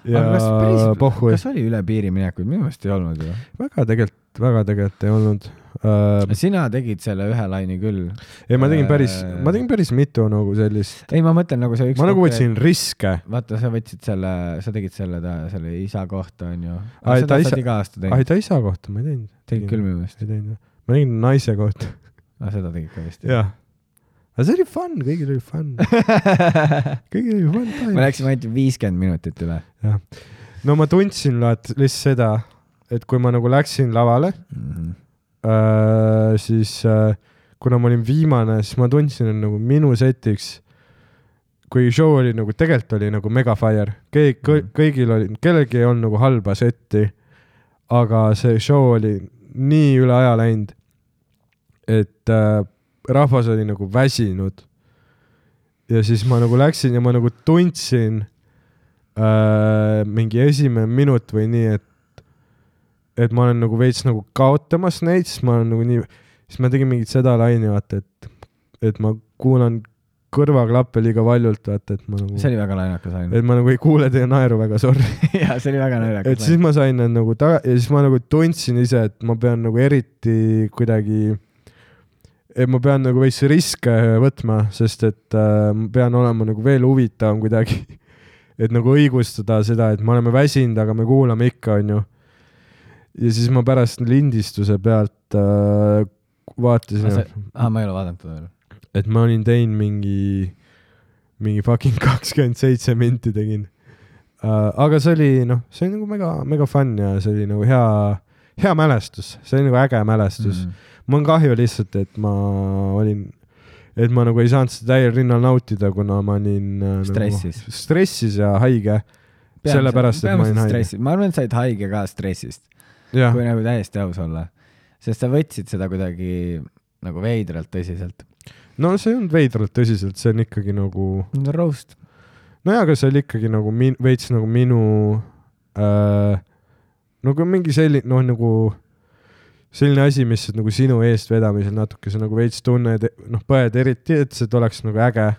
ja kas, päris, pohhu . kas oli üle piiri minekuid ? minu meelest ei olnud ju . väga tegelikult , väga tegelikult ei olnud uh, . sina tegid selle ühe laini küll . ei , ma tegin päris , Äh, ma tegin päris mitu nagu sellist . ei , ma mõtlen nagu see üks . ma nagu võtsin riske . vaata , sa võtsid selle , sa tegid selle , selle isa kohta onju . Ai, ta seda sa isa- oled iga aasta ai , teinud . ta isa kohta ma ei teinud . tegid küll minu meelest . ei teinud . ma tegin naise kohta . aga seda tegid ka vist . jah . aga see oli fun , kõigil oli fun . kõigil oli fun me time . läksime ainult viiskümmend minutit üle jah . no ma tundsin vaat lihtsalt seda , et kui ma nagu läksin lavale mm . -hmm. äh, , siis äh, kuna ma olin viimane , siis ma tundsin , et nagu minu setiks , kui show oli nagu , tegelikult oli nagu mega fire , kõik mm , -hmm. kõigil oli , kellelgi ei olnud nagu halba setti , aga see show oli nii üle aja läinud , et äh, rahvas oli nagu väsinud . ja siis ma nagu läksin ja ma nagu tundsin äh, mingi esimene minut või nii , et et ma olen nagu veits nagu kaotamas neid , siis ma olen nagu nii , siis ma tegin mingit seda laine , vaata , et et ma kuulan kõrvaklappe liiga valjult , vaata , et ma nagu see oli väga naljakas ainult . et ma nagu ei kuule teie naeru väga , sorry . jaa , see oli väga naljakas . et siis ma sain need nagu taga ja siis ma nagu tundsin ise , et ma pean nagu eriti kuidagi , et ma pean nagu veits riske võtma , sest et äh, ma pean olema nagu veel huvitavam kuidagi . et nagu õigustada seda , et me oleme väsinud , aga me kuulame ikka , onju . ja siis ma pärast lindistuse pealt äh, vaatasin , aa , ma ei ole vaadanud veel . et ma olin teinud mingi , mingi fucking kakskümmend seitse minti tegin uh, . aga see oli noh , see oli nagu mega , mega fun ja see oli nagu hea , hea mälestus , see oli nagu äge mälestus mm . -hmm. mul on kahju lihtsalt , et ma olin , et ma nagu ei saanud seda täiel rinnal nautida , kuna ma olin uh, Stressis. nagu, stressis ja haige . sellepärast , et ma olin haige . ma arvan , et sa olid haige ka stressist , jah , kui nagu täiesti aus olla . sest sa võtsid seda kuidagi nagu veidralt tõsiselt . no see ei olnud veidralt tõsiselt , see on ikkagi nagu , roast . nojah , aga see oli ikkagi nagu min, veits nagu minu äh, nagu mingi selline , noh nagu selline asi , mis nagu sinu eestvedamisel natuke sa nagu veits tunned , noh põed eriti , et see oleks nagu äge ,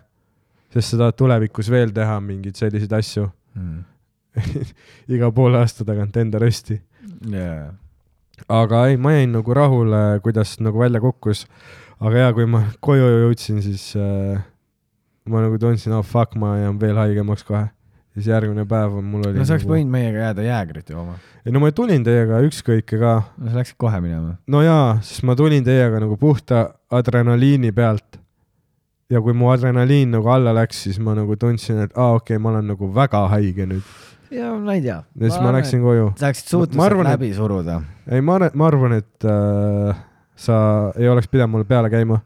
sest sa tahad tulevikus veel teha mingeid selliseid asju mm. . iga poole aasta tagant enda rösti . Yeah. aga ei , ma jäin nagu rahule , kuidas nagu välja kukkus . aga ja kui ma koju jõudsin , siis äh, ma nagu tundsin , oh fuck , ma jään veel haigemaks kohe . siis järgmine päev on mul oli no sa oleks nagu... võinud meiega jääda jäägrit jooma . ei no ma tulin teiega ükskõike ka . no sa läksid kohe minema . no jaa , sest ma tulin teiega nagu puhta adrenaliini pealt . ja kui mu adrenaliin nagu alla läks , siis ma nagu tundsin , et aa okei okay, , ma olen nagu väga haige nüüd . ja ma ei tea . ja siis ma, ma läksin koju . sa läksid suutnud arvan, läbi et... suruda . ei , ma, ma arvan , et äh, sa ei oleks pidanud mulle peale käima .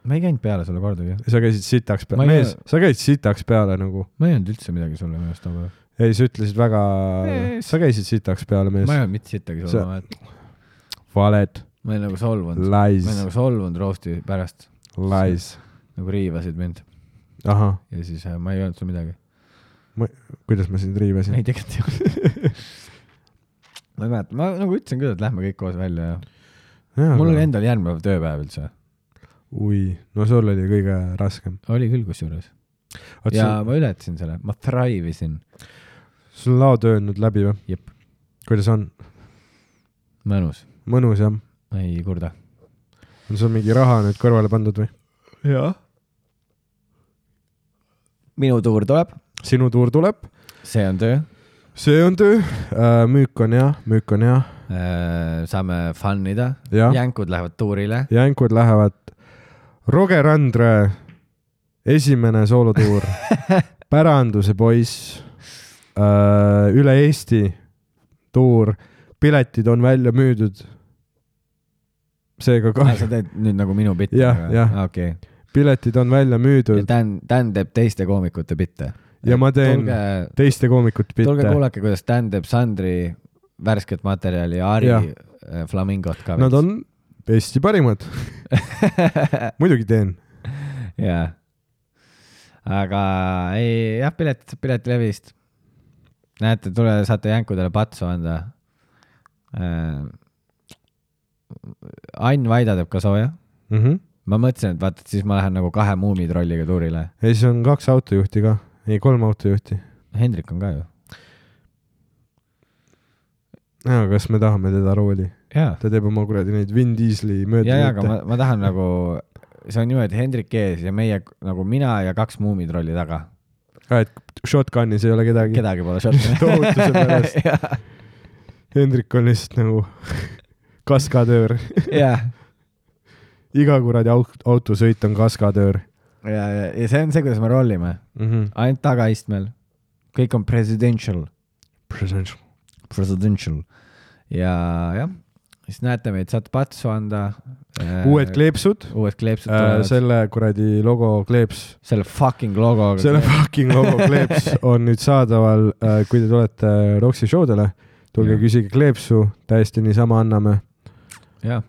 ma ei käinud peale sulle kordagi . sa käisid sitaks peale , Ma ei- mees , sa käisid sitaks peale nagu . ma ei öelnud üldse midagi sulle minu arust nagu . ei , sa ütlesid väga Mees. , sa käisid sitaks peale , mees ma ei . öelnud mitte sittagi Sa- sulle , valed , ma olin nagu solvunud . lies ma olin , nagu solvunud roasti pärast . lies . nagu riivasid mind ahah , ja siis äh, ma ei öelnud sulle midagi . kuidas ma sind riivasin ei , ? tegelikult ei olnud . ma ei mäleta , ma nagu ütlesin küll , et lähme kõik koos välja ja mul oli endal järgmine päev tööpäev üldse . ui , no sul oli kõige raskem . oli küll kusjuures . ja ja ma ületasin selle , ma thrive isin . sul on laotöö nüüd läbi või ? Jep. kuidas on ? mõnus . mõnus jah ? ma ei kurda . on sul mingi raha nüüd kõrvale pandud või ? jah . minu tuur tuleb . sinu tuur tuleb , see on töö . see on töö , müük on hea , müük on hea saame fun ida . ja jänkud lähevad tuurile . jänkud lähevad . Roger Andre esimene soolotuur , Päranduse poiss , üle Eesti tuur , piletid on välja müüdud . seega sa kahju , teed nüüd nagu minu bitti ? Jah, jah. okei . piletid on välja ja müüdud Dan , Dan teeb teiste koomikute bitte . ja ma teen tulge , teiste koomikute tulge bitte . kuulake , kuidas Dan teeb Sandri värsket materjali ja Ari Jah. äh, Flamingot ka . Nad on Eesti parimad . muidugi teen . jaa . aga ei , jah , piletid saab Piletilevist . näete , tule , saate jänkudele patsu anda äh, . Ain Vaida teeb ka sooja . Mm -hmm. ma mõtlesin , et vaata , et siis ma lähen nagu kahe muumitrolliga tuurile . ei , siis on kaks autojuhti ka , ei kolm autojuhti . Hendrik on ka ju . kas me tahame teda rooli ? jaa , ta teeb oma kuradi neid Vin Diesli mööda . ja , ja , aga ma , ma tahan nagu , see on niimoodi , Hendrik ees ja meie nagu mina ja kaks muumitrolli taga . et shotgunis ei ole kedagi . kedagi pole shot'i . Tohutuse pärast. Hendrik on lihtsalt nagu kaskadöör . jah , iga kuradi aut- autosõit on kaskadöör ja , ja , ja see on see , kuidas me rollime . mm . -hmm. ainult tagaistmel . kõik on presidential . Presidential . Presidential . ja , jah , siis näete meid , saate patsu anda . uued kleepsud . uued kleepsud tulevad . selle kuradi logo kleeps , selle fucking logoga . selle fucking logo kleeps on nüüd saadaval , kui te tulete Roksi showdele , tulge Jah. küsige kleepsu , täiesti niisama anname , jah ,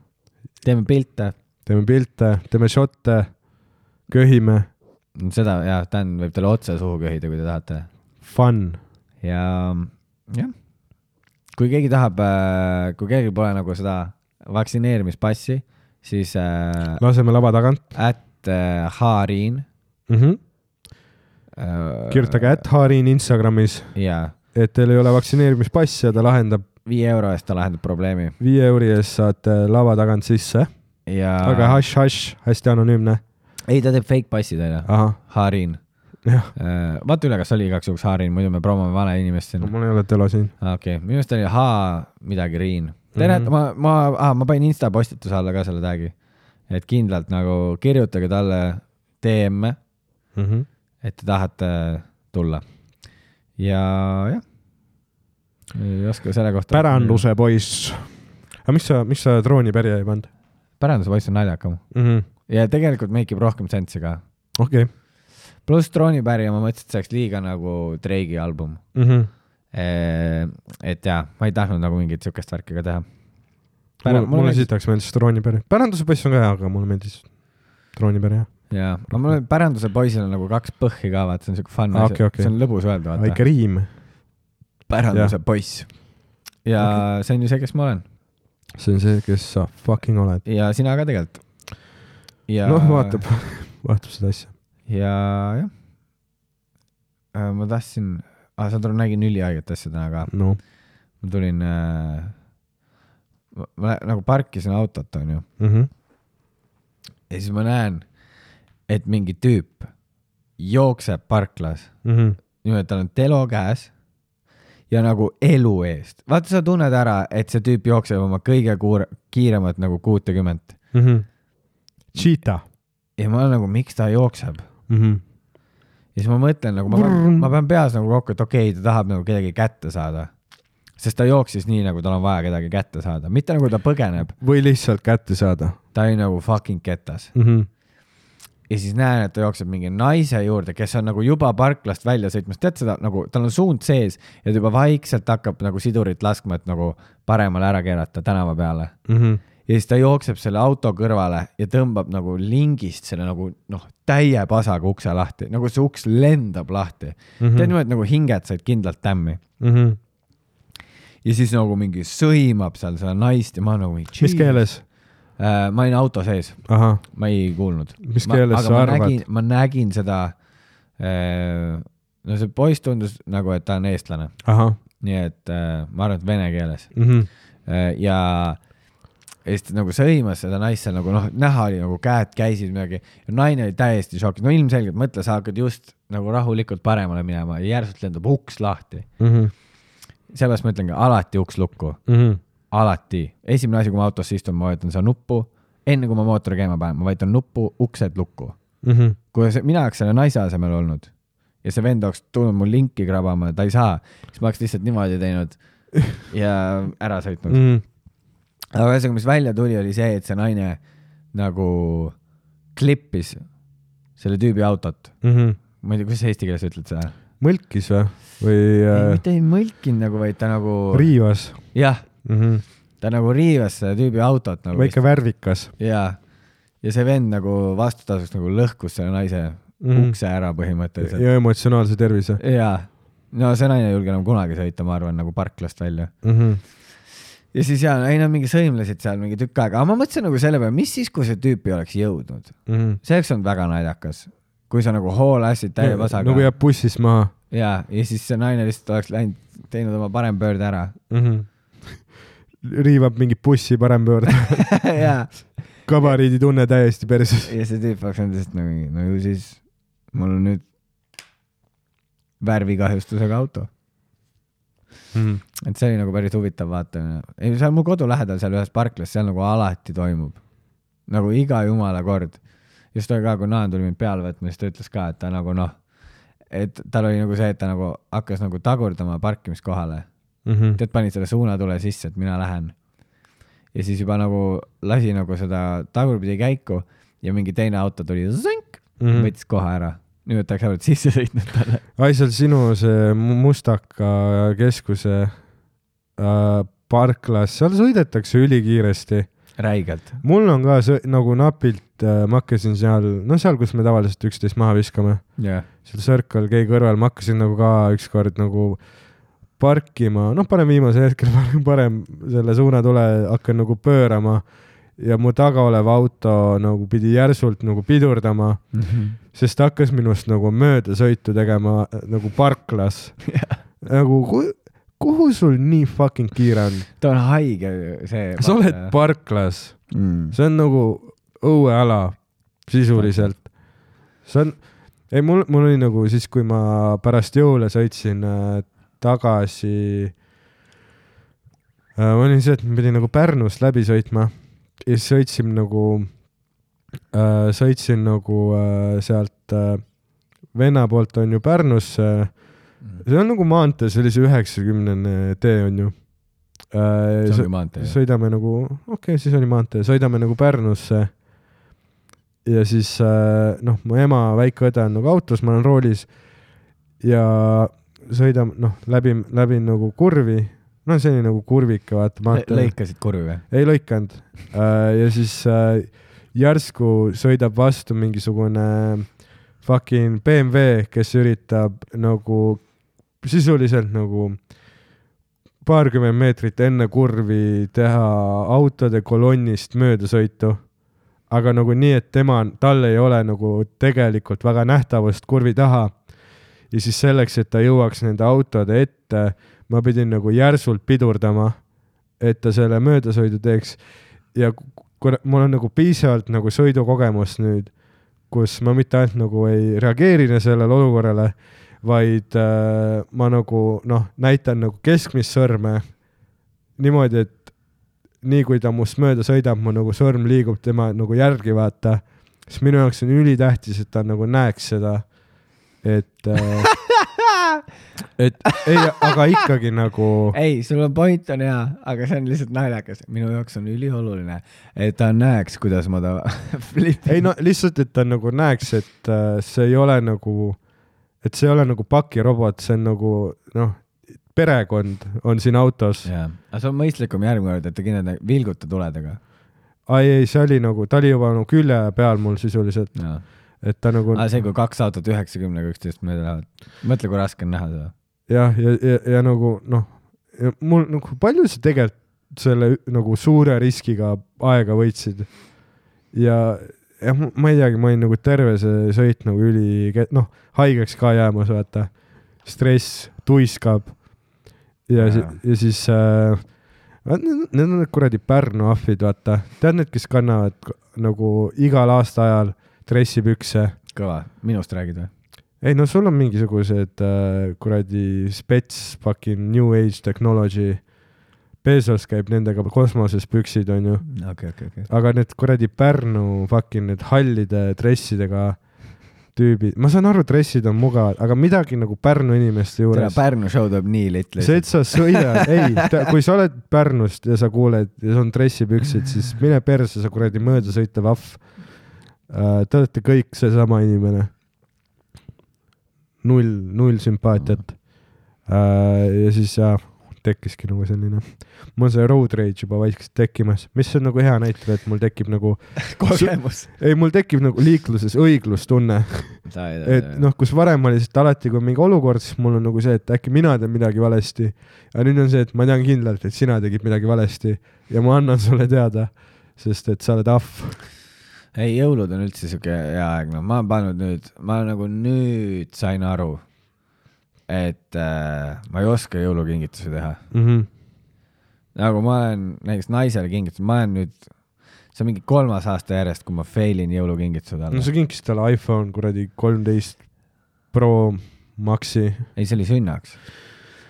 teeme pilte . teeme pilte , teeme šotte , köhime , seda , jah , Dan võib talle otse suhu köhida , kui te tahate . fun . ja , jah , kui keegi tahab , kui keegi pole nagu seda vaktsineerimispassi , siis äh, laseme lava tagant at äh, Haariin mm . -hmm. äh, . kirjutage at Harin Instagramis , jaa , et teil ei ole vaktsineerimispassi ja ta lahendab viie euro eest ta lahendab probleemi viie euri eest saate lava tagant sisse , ja aga hash-hash , hästi anonüümne . ei , ta teeb fake passi teile , ahah , Haariin jah , äh, . vaata üle , kas oli igaks juhuks Haariin , muidu me promome vale inimest siin . mul ei ole telo siin . okei okay. , minu arust oli H midagi Riin . tere mm , Mhm. -hmm. ma , ma ah, , ma panin Insta postituse alla ka selle tag'i . et kindlalt nagu kirjutage talle D M-e, mm . -hmm. et te tahate tulla. ja jah, ei oska selle kohta. päranduse poiss. aga mis sa, mis sa droonipärija ei pannud päranduse poiss on naljakam mm? -hmm. ja tegelikult make ib rohkem sensi ka. okei okay. pluss droonipärija ma mõtlesin, et see oleks liiga nagu Drake'i album mm . -hmm. et jaa, ma ei tahtnud nagu mingit siukest värki ka teha. mulle, mulle sitaks meeldis droonipärija. päranduse poiss on ka hea, aga mulle meeldis droonipärija. jaa, aga mul on päranduse poisil on nagu kaks põhhi ka, vaata, see on siuke fun ah, asi okay,, okay. see on lõbus öelda, vaata. väike riim. päranduse ja. poiss. ja okay. see on ju see, kes ma olen. see on see, kes sa fucking oled. ja sina ka tegelikult. ja... noh, vaatab, vaatab seda asja. ja jah, ma tahtsin, ah, sa nägin ülihaiget asja täna ka. no. ma tulin äh,, ma, ma nagu parkisin autot, on ju mm. -hmm. ja siis ma näen, et mingi tüüp jookseb parklas mm. -hmm. niimoodi, tal on telo käes ja nagu elu eest. Vaata, sa tunned ära, et see tüüp jookseb oma kõige kuur, kiiremat nagu kuutekümmet. mm -hmm. Cheetah. ja ma olen nagu, miks ta jookseb mm. -hmm. ja siis ma mõtlen nagu, ma pean, ma pean peas nagu kokku, et okei okay,, ta tahab nagu kedagi kätte saada. Sest ta jooksis nii, nagu tal on vaja kedagi kätte saada. Mitte nagu ta põgeneb. või lihtsalt kätte saada. Ta oli nagu fucking ketas. mm. -hmm. ja siis näen, et ta jookseb mingi naise juurde, kes on nagu juba parklast välja sõitmas. Tead seda, nagu tal on suund sees ja ta juba vaikselt hakkab nagu sidurit laskma, et nagu paremale ära keerata tänava peale. mm. -hmm. ja siis ta jookseb selle auto kõrvale ja tõmbab nagu lingist selle nagu noh, täie pasaga ukse lahti. Nagu see uks lendab lahti. Mm -hmm. Tead niimoodi, nagu hinged said kindlalt tämmi. mm. -hmm. ja siis nagu mingi sõimab seal seda naist ja ma nagu mingi... mis keeles? Uh, ma olin auto sees. Aha. Ma ei kuulnud. Mis keeles sa arvad? Nägin, ma nägin seda, uh, no see poiss tundus nagu, et ta on eestlane. Aha. Nii et uh, ma arvan, et vene keeles. Mm -hmm. uh, ja Eesti nagu sõimas seda naist seal nagu noh, näha oli nagu käed käisid midagi ja naine oli täiesti šokis. No ilmselgelt mõtle, sa hakkad just nagu rahulikult paremale minema ja järsult lendab uks lahti. Mm -hmm. Sellepärast ma ütlengi, alati uks lukku. Mm -hmm. Alati. Esimene asi, kui ma autosse istun, ma vajutan seda nuppu. Enne kui ma mootori käima panen, ma vajutan nuppu, uksed lukku. Mm -hmm. Kui see, mina oleks selle naise asemel olnud ja see vend oleks tulnud mul linki krabama, ta ei saa, siis ma oleks lihtsalt niimoodi teinud ja ära sõitnud. Mm -hmm. aga ühesõnaga, mis välja tuli, oli see, et see naine nagu klippis selle tüübi autot. Mm -hmm. Ma ei tea, kuidas eesti keeles ütled seda? Mõlkis või? või ei, äh... mitte ei mõlkinud nagu, vaid ta nagu... riivas. jah. Mm -hmm. Ta nagu riivas selle tüübi autot nagu. Väike värvikas. Jaa. Ja see vend nagu vastutasuks nagu lõhkus selle naise mm -hmm. ukse ära põhimõtteliselt. Ja emotsionaalse tervise. Jaa. No see naine ei julge nagu kunagi sõita, ma arvan, nagu parklast välja. Mm -hmm. Ja siis jaa, ei nad mingi sõimlesid seal mingi tükk aega. Aga ma mõtlesin nagu selle peale, mis siis, kui see tüüp ei oleks jõudnud? Mm -hmm. See oleks olnud väga naljakas. Kui sa nagu hoolassid täie pasaga. Nagu jääb bussist maha. Jaa. Ja siis see naine lihtsalt oleks läinud, teinud oma parem pöörde ära. Mm -hmm. Riivab mingi bussi parem pöörde. Jaa. Kabariidi tunne täiesti perses. Ja see tüüp oleks olnud lihtsalt nagu, no ju siis mul on nüüd värvikahjustusega auto. Mm -hmm. Et see oli nagu päris huvitav vaatamine. Ei, seal mu kodu lähedal seal ühes parklas, seal nagu alati toimub. Nagu iga jumala kord. Just toi ka, kui Naan tuli mind peale võtma, siis ta ütles ka, et ta nagu noh, et tal oli nagu see, et ta nagu hakkas nagu tagurdama parkimiskohale. Mm -hmm. Tead, panid selle suunatule sisse, et mina lähen. Ja siis juba nagu lasi nagu seda tagurpidi käiku ja mingi teine auto tuli zink, mm -hmm. võttis koha ära. Nüüd tahaks ära, et sisse sõitnud talle. Ai, seal sinu see Mustaka keskuse äh, parklas, seal sõidetakse ülikiiresti. Räigelt. Mul on ka see, nagu napilt, äh, ma hakkasin seal, no seal, kus me tavaliselt üksteist maha viskame. Yeah. Seal Circle K kõrval, ma hakkasin nagu ka ükskord nagu parkima, noh, parem viimase hetkel, parem selle suunatule hakkan nagu pöörama ja mu taga olev auto nagu pidi järsult nagu pidurdama, mm -hmm. sest ta hakkas minust nagu mööda sõitu tegema nagu parklas. Yeah. Nagu, kuhu, kuhu sul nii fucking kiire on? Ta on haige see. Sa oled parklas. Mm. See on nagu õueala sisuliselt. See on, ei, mul, mul oli nagu siis, kui ma pärast jõule sõitsin äh, tagasi, äh, ma olin see, et ma pidin nagu Pärnust läbi sõitma ja siis sõitsime nagu äh, sõitsin nagu äh, sealt äh, venna poolt on ju Pärnusse äh,, see on nagu maantee, see oli see üheksakümnene tee on ju äh,. see oli maantee. sõidame nagu, okei okay,, siis oli maantee, sõidame nagu Pärnusse ja siis äh, noh, mu ema väike õde on nagu autos, ma olen roolis ja sõidame noh, läbi, läbi nagu kurvi, no see oli nagu kurvike, vaata maantee. Lõikasid kurvi või? Ei lõikanud äh, ja siis äh, järsku sõidab vastu mingisugune fucking B M W, kes üritab nagu sisuliselt nagu paarkümmend meetrit enne kurvi teha autode kolonnist möödasõitu. Aga nagu nii, et tema, tal ei ole nagu tegelikult väga nähtavust kurvi taha. Ja siis selleks, et ta jõuaks nende autode ette, ma pidin nagu järsult pidurdama, et ta selle möödasõidu teeks. Ja kuna mul on nagu piisavalt nagu sõidukogemus nüüd, kus ma mitte ainult nagu ei reageerine sellele olukorrale, vaid äh, ma nagu noh, näitan nagu keskmist sõrme niimoodi, et nii kui ta must mööda sõidab, mu nagu sõrm liigub tema nagu järgi vaata, siis minu jaoks on ülitähtis, et ta nagu näeks seda, et äh, et ei, aga ikkagi nagu ei, sul on point on hea, aga see on lihtsalt naljakas. Minu jaoks on ülioluline, et ta näeks, kuidas ma ta flipin. Ei no lihtsalt, et ta nagu näeks, et äh, see ei ole nagu et see ei ole nagu pakirobot, see on nagu noh, perekond on siin autos. Yeah. Aga see on mõistlikum järgmine kord, et ta kindlasti vilguta tuledega. Ai ei, see oli nagu, ta oli juba nagu külje peal mul sisuliselt. Yeah. Et ta nagu... Aga see, kui kaks autot üheksakümnega üksteist mööda lähevad. Mõtle, kui raske on näha seda. Jah, ja, ja, ja nagu noh, ja mul nagu palju see tegelikult selle nagu suure riskiga aega võitsid. Ja, ja ma ei teagi, ma olin nagu terve see sõit nagu üli, noh, haigeks ka jäämas, vaata. Stress tuiskab. Ja, ja. ja siis äh, need on need kuradi Pärnu ahvid, vaata. Tead need, kes kannavad nagu igal aasta ajal dressipükse? Kõva. Minust räägid või? Ei, no sul on mingisugused äh, kuradi spets fucking new age technology. Bezos käib nendega kosmoses püksid, on ju. Okay, okay, okay. Aga need kuradi Pärnu fucking need hallide dressidega tüübid. Ma saan aru, dressid on mugavad, aga midagi nagu Pärnu inimeste juures. Tere, Pärnu show tuleb nii litli. See, et sa sõida, ei, ta, kui sa oled Pärnust ja sa kuuled ja sa on dressipüksid, siis mine perse, sa kuradi mööda sõita vaff. Uh, te olete kõik see sama inimene. Null, null sümpaatiat. Uh, ja siis ja, tekkiski nagu selline. Mul on see road rage juba vaikselt tekkimas. Mis on nagu hea näitel, et mul tekib nagu... kogemus. Ei, mul tekib nagu liikluses õiglustunne. Et noh, kus varem oli lihtsalt alati, kui mingi olukord, siis mul on nagu see, et äkki mina teen midagi valesti. Ja nüüd on see, et ma tean kindlalt, et sina tegid midagi valesti. Ja ma annan sulle teada, sest et sa oled ahv. Ei, jõulud on üldse siuke hea aeg. No, ma olen pannud nüüd, ma nagu nüüd sain aru, et äh, ma ei oska jõulukingitusi teha. Mm-hmm. Nagu ma olen näiteks naisele kingitus, ma olen nüüd, see on mingi kolmas aasta järjest, kui ma failin jõulukingitused alla. No sa kingis talle iPhone kuradi kolmteist Pro Maxi. Ei, see oli sünnaks.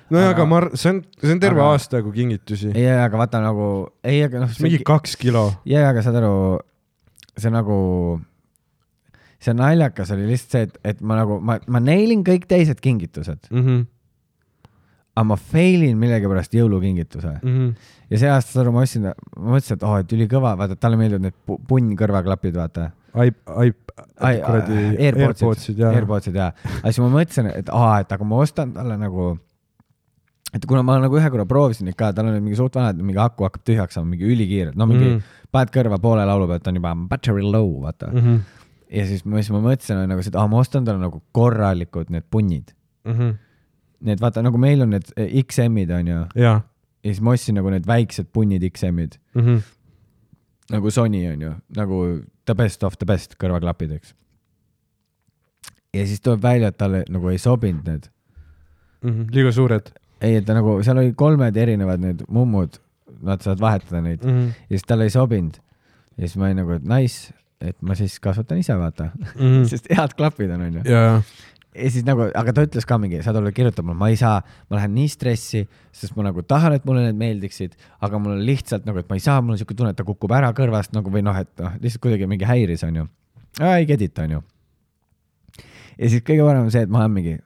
No aga, aga ma, see on, see on terve aga, aasta kui kingitusi. Ei, aga vaata nagu, ei, aga noh. Mingi kaks kilo. Ei, aga saad aru, see nagu, see naljakas oli lihtsalt see, et, et ma nagu, ma, ma neilin kõik teised kingitused. Mm-hmm. Aga ma failin millegi pärast jõulukingituse. Mm-hmm. Ja see aasta saru ma mõtlesin, ma mõtlesin, et oh, et üli kõva, vaata, talle meeldivad need punn kõrvaklapid, vaata. Aip, aip, kuradi Airpodsid, Airpodsid, jaa. Aga siis ma mõtlesin, et aa, et aga ma ostan talle nagu, et kuna ma nagu ühe korra proovisin neid ka, tal on mingi suht vanad, mingi haku hakkab tühjaks saama, mingi ülikiired, no mingi mm. paned kõrva poole laulu pealt, on juba battery low, vaata. Mm-hmm. Ja siis ma, siis ma mõtlesin, nagu, et ah, ma ostan talle nagu korralikud need punnid. Mm-hmm. Need vaata, nagu meil on need X M-id, on ju. Ja. Ja siis ma ostsin nagu need väiksed punnid X M-id. Mm-hmm. Nagu Sony, on ju. Nagu the best of the best kõrvaklapid, eks. Ja siis tuleb välja, et talle nagu ei sobinud need. Mm-hmm. Liiga suured. Ei, et ta nagu, seal oli kolmed erinevad need mummud, nad saavad vahetada neid. Mm-hmm. Ja siis talle ei sobinud. Ja siis ma olin nagu, et nice, et ma siis kasvatan ise, vaata. Mm-hmm. Sest head klapid on, on ju. Yeah. ja siis nagu, aga ta ütles ka mingi, sa tuleb kirjutab mulle, ma ei saa, ma lähen nii stressi, sest ma nagu tahan, et mulle need meeldiksid, aga mul on lihtsalt nagu, et ma ei saa, mul on siuke tunne, et ta kukub ära kõrvast nagu või noh, et noh, lihtsalt kuidagi mingi häiris on ju. ei gedita on ju. ja siis kõige parem on see, et ma olen mingi,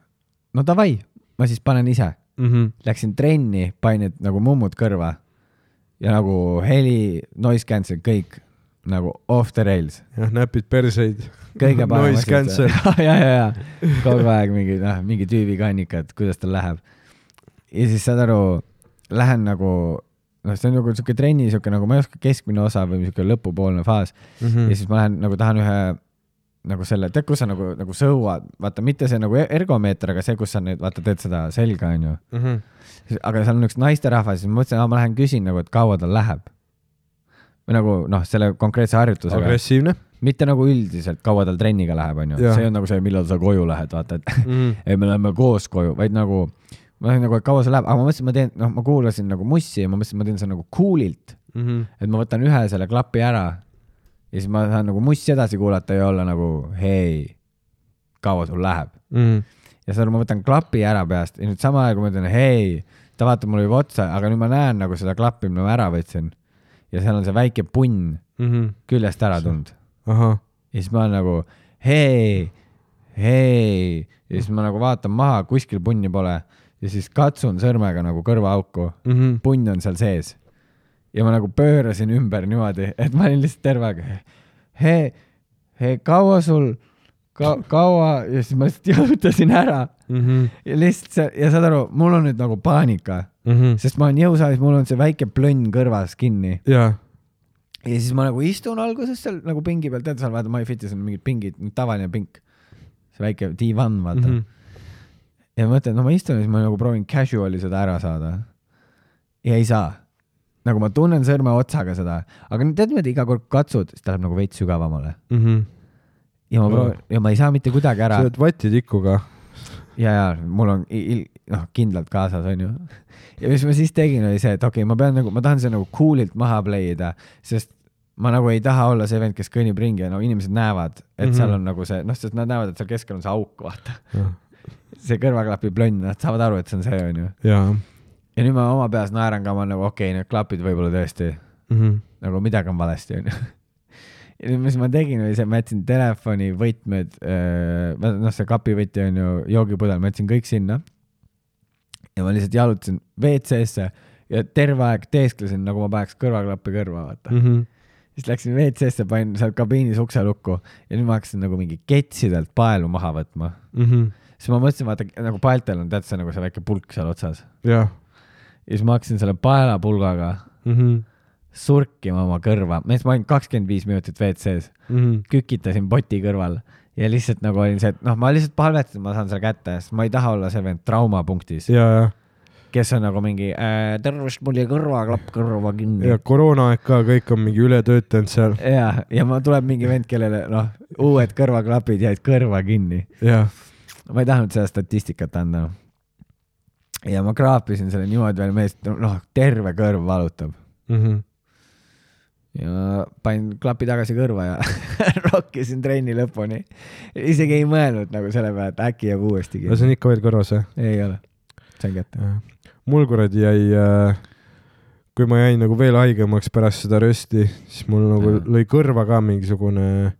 no davai, ma siis panen ise. Mm-hmm. Läksin trenni, panin nagu mummud kõrva ja nagu heli, noise cancel, kõik nagu off the rails. jah, näpid perseid. kõige parem. Noise cancel. ja, ja, ja. Kogu aeg mingi, noh, mingi tüübi kannika, et kuidas tal läheb. ja siis saad aru, lähen nagu, noh, see on nagu siuke trenni, siuke nagu, ma ei oska keskmine osa või siuke lõpupoolne faas. Mm-hmm. Ja siis ma lähen nagu tahan ühe nagu selle, tead, kus sa nagu, nagu sõuad, vaata, mitte see nagu ergomeeter, aga see, kus sa nüüd, vaata, teed seda selga, on ju. Mm-hmm. Aga seal on üks naisterahvas, siis ma mõtlesin, ma lähen küsin nagu, et kaua tal läheb. Või nagu, noh, selle konkreetse harjutusega. Agressiivne. Mitte nagu üldiselt, kaua tal trenniga läheb, on ju. See on nagu see, millal sa koju lähed, vaata, et mm-hmm. ei, me läheme koos koju, vaid nagu, ma lähen nagu, et kaua see läheb, aga ma mõtlesin, ma teen, noh, ma kuulasin nagu mussi ja ma mõtlesin, ma teen see nagu coolilt, mm-hmm. et ma võtan ühe selle klapi ära ja siis ma saan nagu mussi edasi kuulata ja olla nagu, hei, kaua sul läheb. Mm-hmm. Ja siis ma võtan klapi ära peast ja nüüd sama aeg, kui ma ütlen, hei, ta vaatab mulle juba otsa, aga nüüd ma näen nagu seda klappi, mida ma ära võtsin. Ja seal on see väike punn mm-hmm. küljest ära tulnud. Aha. Ja siis ma olen nagu, hei, hei. Ja siis ma nagu vaatan maha, kuskil punni pole. Ja siis katsun sõrmega nagu kõrvaauku. Mm-hmm. Punn on seal sees. Ja ma nagu pöörasin ümber niimoodi, et ma olin lihtsalt terve aeg. Hei, hei, kaua sul, ka, kaua? Ja siis ma lihtsalt jõutasin ära. Mm-hmm. Ja lihtsalt see, ja saad aru, mul on nüüd nagu paanika. Mm-hmm. Sest ma olen jõusaalis, mul on see väike plönn kõrvas kinni. Ja. ja siis ma nagu istun alguses seal nagu pingi peal, tead, seal vaata MyFitis on mingid pingid, tavaline pink. See väike divan, vaata. Mm-hmm. Ja ma mõtlen, no ma istun ja siis ma nagu proovin casuali seda ära saada. Ja ei saa. Nagu ma tunnen sõrme otsaga seda. Aga tead, mida iga kord katsud, siis ta läheb nagu veits sügavamale. Mm-hmm. Ja, ma proovin, ja ma ei saa mitte kuidagi ära. Sa oled vatitikuga. Ja, ja, mul on il, noh, kindlalt kaasas, on ju. Ja mis ma siis tegin, oli see, et okei, okay, ma pean nagu, ma tahan see nagu coolilt maha playida, sest ma nagu ei taha olla see vend, kes kõnnib ringi ja no inimesed näevad, et mm-hmm. seal on nagu see, noh, sest nad näevad, et seal keskel on see auk, vaata. Ja. See kõrvaklapi plönn, nad saavad aru, et see on see, on ju. Ja. Ja nüüd ma oma peas naeran ka, ma nagu, okei, okay, need klapid võib-olla tõesti, mm-hmm. nagu midagi on valesti, on ju. Ja nüüd, mis ma tegin, oli see, ma jätsin telefoni, võtmed, noh, see kapivõti on ju joogipudel, ma jätsin kõik sinna. Ja ma lihtsalt jalutasin V C-sse ja terve aeg teesklesin, nagu ma paneks kõrvaklappi kõrva, vaata. Mm-hmm. Siis läksin V C-sse, panin seal kabiinis ukse lukku ja nüüd ma hakkasin nagu mingi ketsidelt paelu maha võtma. Mm-hmm. Siis ma mõtlesin, vaata, nagu paeltel on tead see nagu see väike pulk seal otsas. Ja. Ja siis ma hakkasin selle paelapulgaga mm-hmm. surkima oma kõrva. Ma olin kakskümmend viis minutit V C-s. Mm-hmm. Kükitasin poti kõrval ja lihtsalt nagu olin see, et noh, ma lihtsalt palvetasin, ma saan selle kätte, sest ma ei taha olla see vend traumapunktis. Ja, ja. Kes on nagu mingi äh, tervist mul ja kõrvaklapp kõrva kinni. Ja koroona aeg ka, kõik on mingi üle töötanud seal. Ja, ja ma tuleb mingi vend, kellele noh, uued kõrvaklapid jäid kõrva kinni. Ja. Ma ei tahtnud seda statistikat anda. Ja ma kraapisin selle niimoodi veel meest, noh, terve kõrv valutab. Mm-hmm. Ja panin klapi tagasi kõrva ja rokkisin trenni lõpuni. Isegi ei mõelnud nagu selle peale, et äkki jääb uuesti. Ja see on ikka veel kõrvas, jah? Ei ole. Sain kätte. Mul kuradi jäi, kui ma jäin nagu veel haigemaks pärast seda rösti, siis mul nagu lõi kõrva ka mingisugune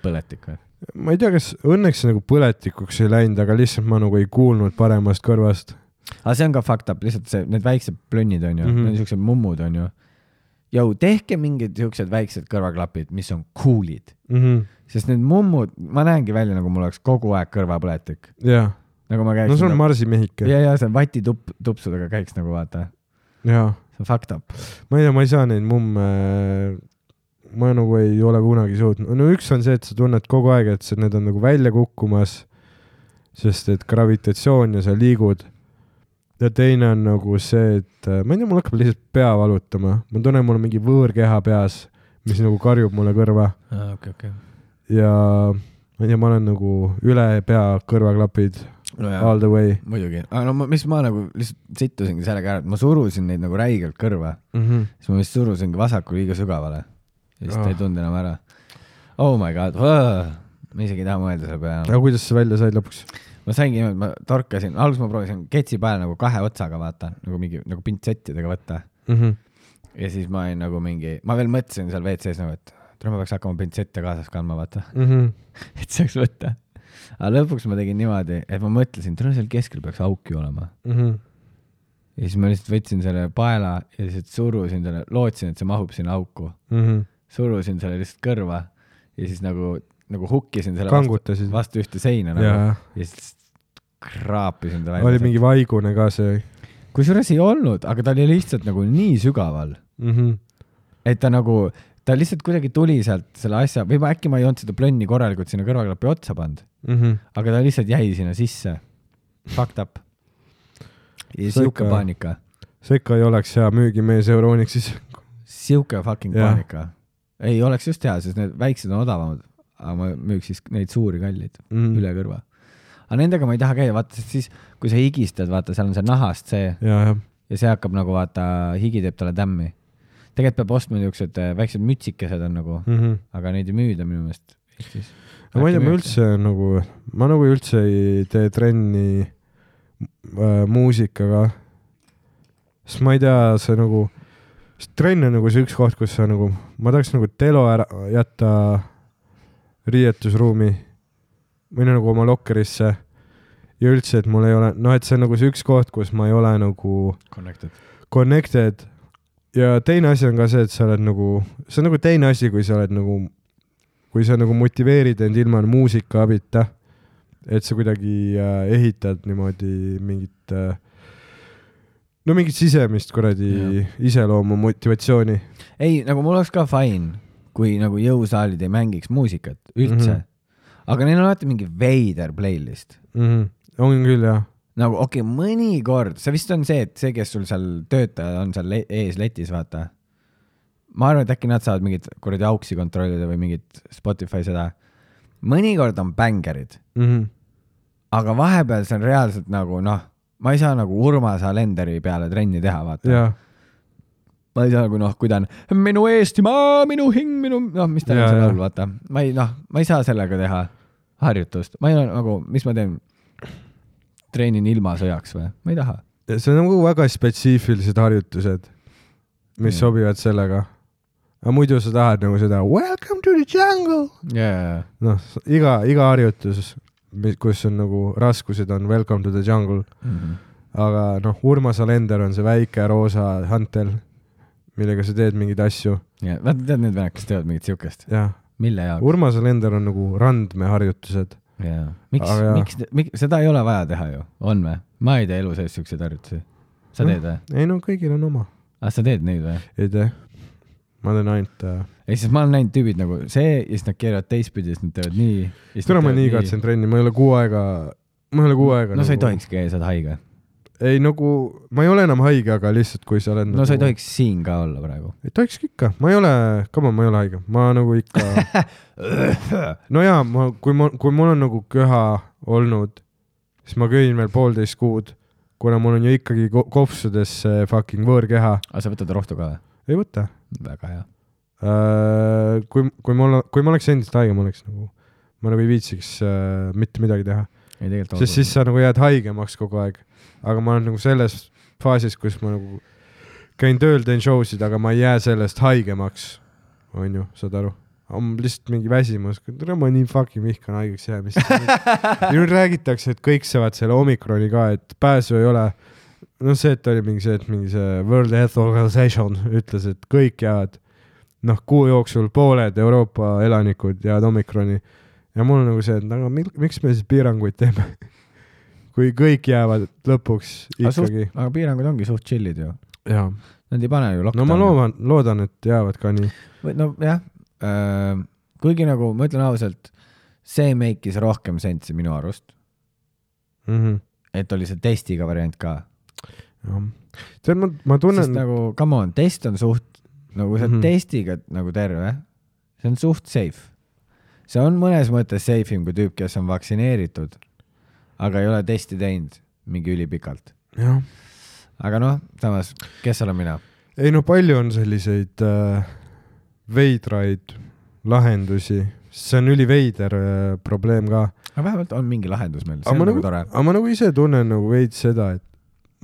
põletik või? Ma ei tea, kas õnneks nagu põletikuks ei läinud, aga lihtsalt ma nagu ei kuulnud paremast kõrvast. Aga see on ka fakt up, lihtsalt see, need väiksed plönnid on ju, mm-hmm. need siuksed mummud on ju. Jau, tehke mingid siuksed väiksed kõrvaklapid, mis on coolid. Mm-hmm. Sest need mummud, ma näengi välja, nagu mul oleks kogu aeg kõrvapõletik. Jah. Nagu ma käiksin. No see on nagu, Marsi mehike. Ja, ja see on vati tup, tupsudega käiks nagu vaata. Jah. See on fucked up. Ma ei tea, ma ei saa neid mumme, ma nagu ei ole kunagi suutnud. No üks on see, et sa tunned kogu aeg, et see, need on nagu välja kukkumas, sest et gravitatsioon ja sa liigud. Ja teine on nagu see, et ma ei tea, mul hakkab lihtsalt pea valutama. Ma tunnen, mul on mingi võõrkeha peas, mis nagu karjub mulle kõrva. Ah, okay, okay. Ja ma ei tea, ma olen nagu üle pea kõrvaklapid no jah, all the way. Muidugi. Aga no mis ma nagu lihtsalt sittusingi sellega ära, et ma surusin neid nagu räigelt kõrva. Mm-hmm. Siis ma vist surusingi vasaku liiga sügavale. Ja siis oh. ta ei tundnud enam ära. Oh my god. Oh. Ma isegi ei taha mõelda selle peale. Aga kuidas see välja said lõpuks? ma saingi niimoodi, ma torkasin, alguses ma proovisin ketsi peale nagu kahe otsaga vaata, nagu mingi nagu pintsettidega võtta mm. -hmm. ja siis ma olin nagu mingi, ma veel mõtlesin seal W C-s nagu, et tule ma peaks hakkama pintsette kaasas kandma, vaata mm. -hmm. et saaks võtta. aga lõpuks ma tegin niimoodi, et ma mõtlesin, tule seal keskel peaks auk ju olema mm. -hmm. ja siis ma lihtsalt võtsin selle paela ja lihtsalt surusin selle, lootsin, et see mahub sinna auku mm. -hmm. surusin selle lihtsalt kõrva ja siis nagu nagu hukkisin selle Kangutasid. vastu, vastu ühte seina nagu, ja. ja siis kraapisin ta välja. Oli mingi vaigune ka see? Kusjuures ei olnud, aga ta oli lihtsalt nagu nii sügaval mm, -hmm. et ta nagu, ta lihtsalt kuidagi tuli sealt selle asja, või ma äkki ma ei olnud seda plönni korralikult sinna kõrvaklapi otsa pannud mm, -hmm. aga ta lihtsalt jäi sinna sisse. Fucked up. ja siuke paanika. see ikka ei oleks hea müügimees Euronixis. Siuke fucking ja. paanika. Ei oleks just hea, sest need väiksed on odavamad. Aga ma müüks siis neid suuri kallid mm. üle kõrva. Aga nendega ma ei taha käia, vaata, sest siis, kui sa higistad, vaata, seal on see nahast see ja, ja. ja see hakkab nagu, vaata, higi teeb talle tämmi. Tegelikult peab ostma niisugused väiksed mütsikesed on nagu, mm -hmm. aga neid ei müüda minu meelest. No, ma ei tea, ma üldse nagu, ma nagu üldse ei tee trenni äh, muusikaga, sest ma ei tea, see nagu, trenn on nagu see üks koht, kus sa nagu, ma tahaks nagu telo ära jätta riietusruumi või nagu oma lokkerisse ja üldse, et mul ei ole, noh, et see on nagu see üks koht, kus ma ei ole nagu connected, connected. Ja teine asi on ka see, et sa oled nagu, see on nagu teine asi, kui sa oled nagu, kui sa nagu motiveerid end ilma muusika abita, et sa kuidagi äh, ehitad niimoodi mingit äh, no mingit sisemist kuradi iseloomu motivatsiooni. Ei, nagu mul oleks ka fine, kui nagu jõusaalid ei mängiks muusikat üldse. Mm -hmm. Aga neil on alati mingi veider playlist. Mm -hmm. On küll, jah. Nagu okei, okay, mõnikord, see vist on see, et see, kes sul seal töötaja on seal le ees letis, vaata. Ma arvan, et äkki nad saavad mingit kuradi auksi kontrollida või mingit Spotify seda. Mõnikord on bängerid. Mm -hmm. Aga vahepeal see on reaalselt nagu, noh, ma ei saa nagu Urmas Alenderi peale trenni teha, vaata. Ja. Ma ei saa nagu, noh, kui ta on minu Eestimaa, minu hing, minu, noh, mis ta ja, on seal all, vaata. Ma ei, noh, ma ei saa sellega teha harjutust. Ma ei ole nagu, mis ma teen? Treenin ilma sõjaks või? Ma ei taha. See on nagu väga spetsiifilised harjutused, mis ja. sobivad sellega. Aga muidu sa tahad nagu seda welcome to the jungle. Yeah. Noh, iga, iga harjutus, kus on nagu raskused on welcome to the jungle. Mm -hmm. Aga noh, Urmas Alender on see väike roosa hantel, millega sa teed mingeid asju. Ja, vaata, tead need venekast teevad mingit siukest? Jah. Mille jaoks? Urmas Alender on nagu randmeharjutused. Jaa. Miks, miks, miks, seda ei ole vaja teha ju? On me? Ma ei tee elu sees siukseid harjutusi. Sa teed või? Ei no, kõigil on oma. Ah, sa teed neid või? Ei tee. Ma teen ainult... Äh... Ei, siis ma olen näinud tüübid nagu see ja siis nad keeravad teistpidi ja siis nad teevad nii. Täna ma nii katsen trenni, ma ei ole kuu aega... Ma ei ole kuu aega... No nagu... sa ei tohiks käia, sa oled haige. Ei, nagu... Ma ei ole enam haige, aga lihtsalt kui sa oled... No nagu... sa ei tohiks siin ka olla praegu. Ei tohiks ikka. Ma ei ole... Kama, ma ei ole haige. Ma nagu ikka... no jaa, ma, kui, ma, kui mul on nagu köha olnud, siis ma köin veel poolteist kuud, kuna mul on ju ikkagi kopsudes see fucking võõrkeha. Aga sa võtad rohtu ka või? Ei võta. Väga hea. Uh, kui, kui, mul, kui ma oleks endist haige, ma oleks nagu... Ma nagu ei viitsiks uh, mitte midagi teha. Ei, sest siis sa nagu jääd haigemaks kogu aeg. Aga ma olen nagu selles faasis, kus ma nagu käin tööl, teen showsid, aga ma ei jää sellest haigemaks. On ju, saad aru? On lihtsalt mingi väsimus. Ma nii fucking vihkan haigeks jäämist. Nüüd räägitakse, et kõik saavad selle omikroni ka, et pääsu ei ole. No see, et oli mingi see, et mingi see World Health Organization ütles, et kõik jäävad noh, kuu jooksul pooled Euroopa elanikud jäävad omikroni. Ja mul on nagu see, et aga miks me siis piiranguid teeme? Kui kõik jäävad lõpuks ikkagi. Aga, aga piirangud ongi suht chillid ju. Jaa. Nad ei pane ju lockdowni. No ma loodan, loodan, et jäävad ka nii. No jah, äh, kuigi nagu ma ütlen ausalt, see meikis rohkem sensi minu arust. Mm -hmm. Et oli see testiga variant ka. Jah. Tead, ma, ma tunnen... Sest nagu, come on, test on suht, nagu sa mm -hmm. testiga nagu terve, see on suht safe. See on mõnes mõttes safeim kui tüüp, kes on vaktsineeritud, aga ei ole testi teinud mingi ülipikalt. Jah. Aga noh, samas, kes olen mina? Ei no palju on selliseid äh, veidraid lahendusi. See on üliveider äh, probleem ka. aga vähemalt on mingi lahendus meil, see aga on ma nagu nagu, tore . aga ma nagu ise tunnen nagu veits seda, et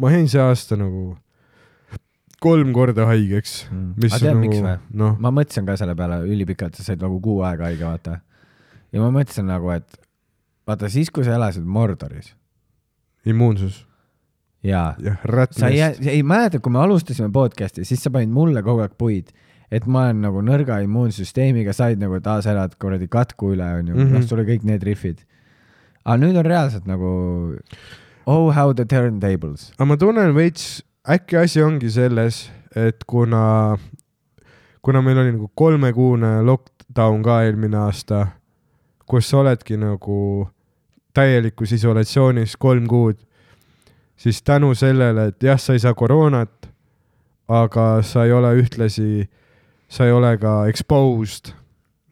ma jäin see aasta nagu kolm korda haigeks Mm. mis aga tead on miks või nagu ? noh , ma mõtlesin ka selle peale ülipikalt , sa said nagu kuu aega haige , vaata . ja ma mõtlesin nagu , et vaata siis , kui sa elasid Mordoris immuunsus ja jah , sa ei rätnest . ei mäleta , kui me alustasime podcast'i , siis sa panid mulle kogu aeg puid , et ma olen nagu nõrga immuunsüsteemiga , said nagu , et aa , sa elad kuradi katku üle , onju , Mhm. noh , sul oli kõik need rihvid . aga nüüd on reaalselt nagu oh how the turntables . aga ma tunnen veits , äkki asi ongi selles , et kuna , kuna meil oli nagu kolmekuune lockdown ka eelmine aasta , kus sa oledki nagu täielikus isolatsioonis kolm kuud , siis tänu sellele , et jah , sa ei saa koroonat , aga sa ei ole ühtlasi , sa ei ole ka exposed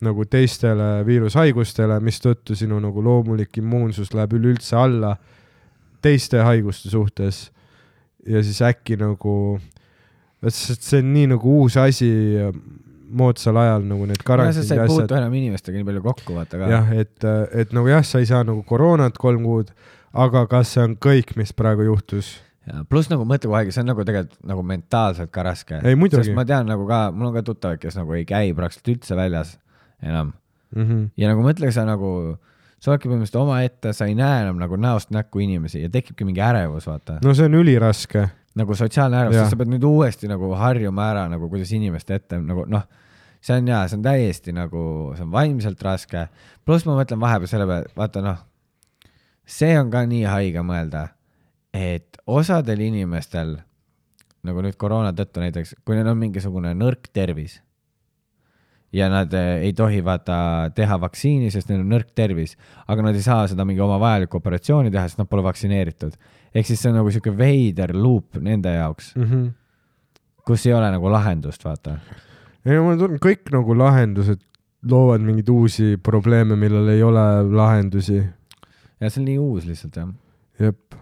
nagu teistele viirushaigustele , mistõttu sinu nagu loomulik immuunsus läheb üleüldse alla teiste haiguste suhtes . ja siis äkki nagu , see on nii nagu uus asi moodsal ajal nagu need sa karantiini ei asjad puutu . enam inimestega nii palju kokku , vaata ka . jah , et , et nagu jah , sa ei saa nagu koroonat kolm kuud , aga kas see on kõik , mis praegu juhtus ? pluss nagu mõtle kogu aeg , see on nagu tegelikult nagu mentaalselt ka raske . Ei, muidugi. sest ma tean nagu ka , mul on ka tuttavad , kes nagu ei käi praktiliselt üldse väljas enam . Mm -hmm. ja nagu mõtle , sa nagu , sa oledki põhimõtteliselt omaette , sa ei näe enam nagu näost näkku inimesi ja tekibki mingi ärevus , vaata . no see on üliraske . nagu sotsiaalne ärevus , Jah. sest sa pead nüüd uuesti nagu harjuma ära nagu kuidas inimeste ette nagu noh , see on jaa , see on täiesti nagu , see on vaimselt raske . pluss ma mõtlen vahepeal selle peale , vaata noh , see on ka nii haige mõelda , et osadel inimestel nagu nüüd koroona tõttu näiteks , kui neil on mingisugune nõrk tervis ja nad eh, ei tohi vaata teha vaktsiini , sest neil on nõrk tervis , aga nad ei saa seda mingi oma vajalikku operatsiooni teha , sest nad pole vaktsineeritud . ehk siis see on nagu siuke veider loop nende jaoks , Mm -hmm. kus ei ole nagu lahendust , vaata . ei no ma tunnen , kõik nagu lahendused loovad mingeid uusi probleeme , millel ei ole lahendusi . ja see on nii uus lihtsalt jah . jep ,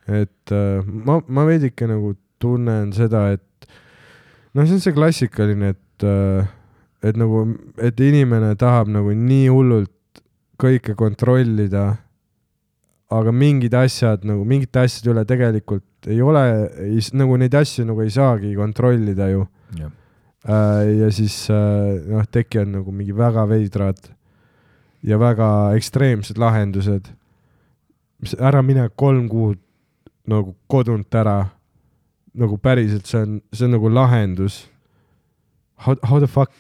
et äh, ma , ma veidike nagu tunnen seda , et noh , see on see klassikaline , et äh, et nagu , et inimene tahab nagu nii hullult kõike kontrollida , aga mingid asjad nagu mingite asjade üle tegelikult ei ole , nagu neid asju nagu ei saagi kontrollida ju . Äh, ja siis äh, noh , tekivad nagu mingi väga veidrad ja väga ekstreemsed lahendused . ära mine kolm kuud nagu kodunt ära , nagu päriselt , see on , see on nagu lahendus . How, how the fuck ?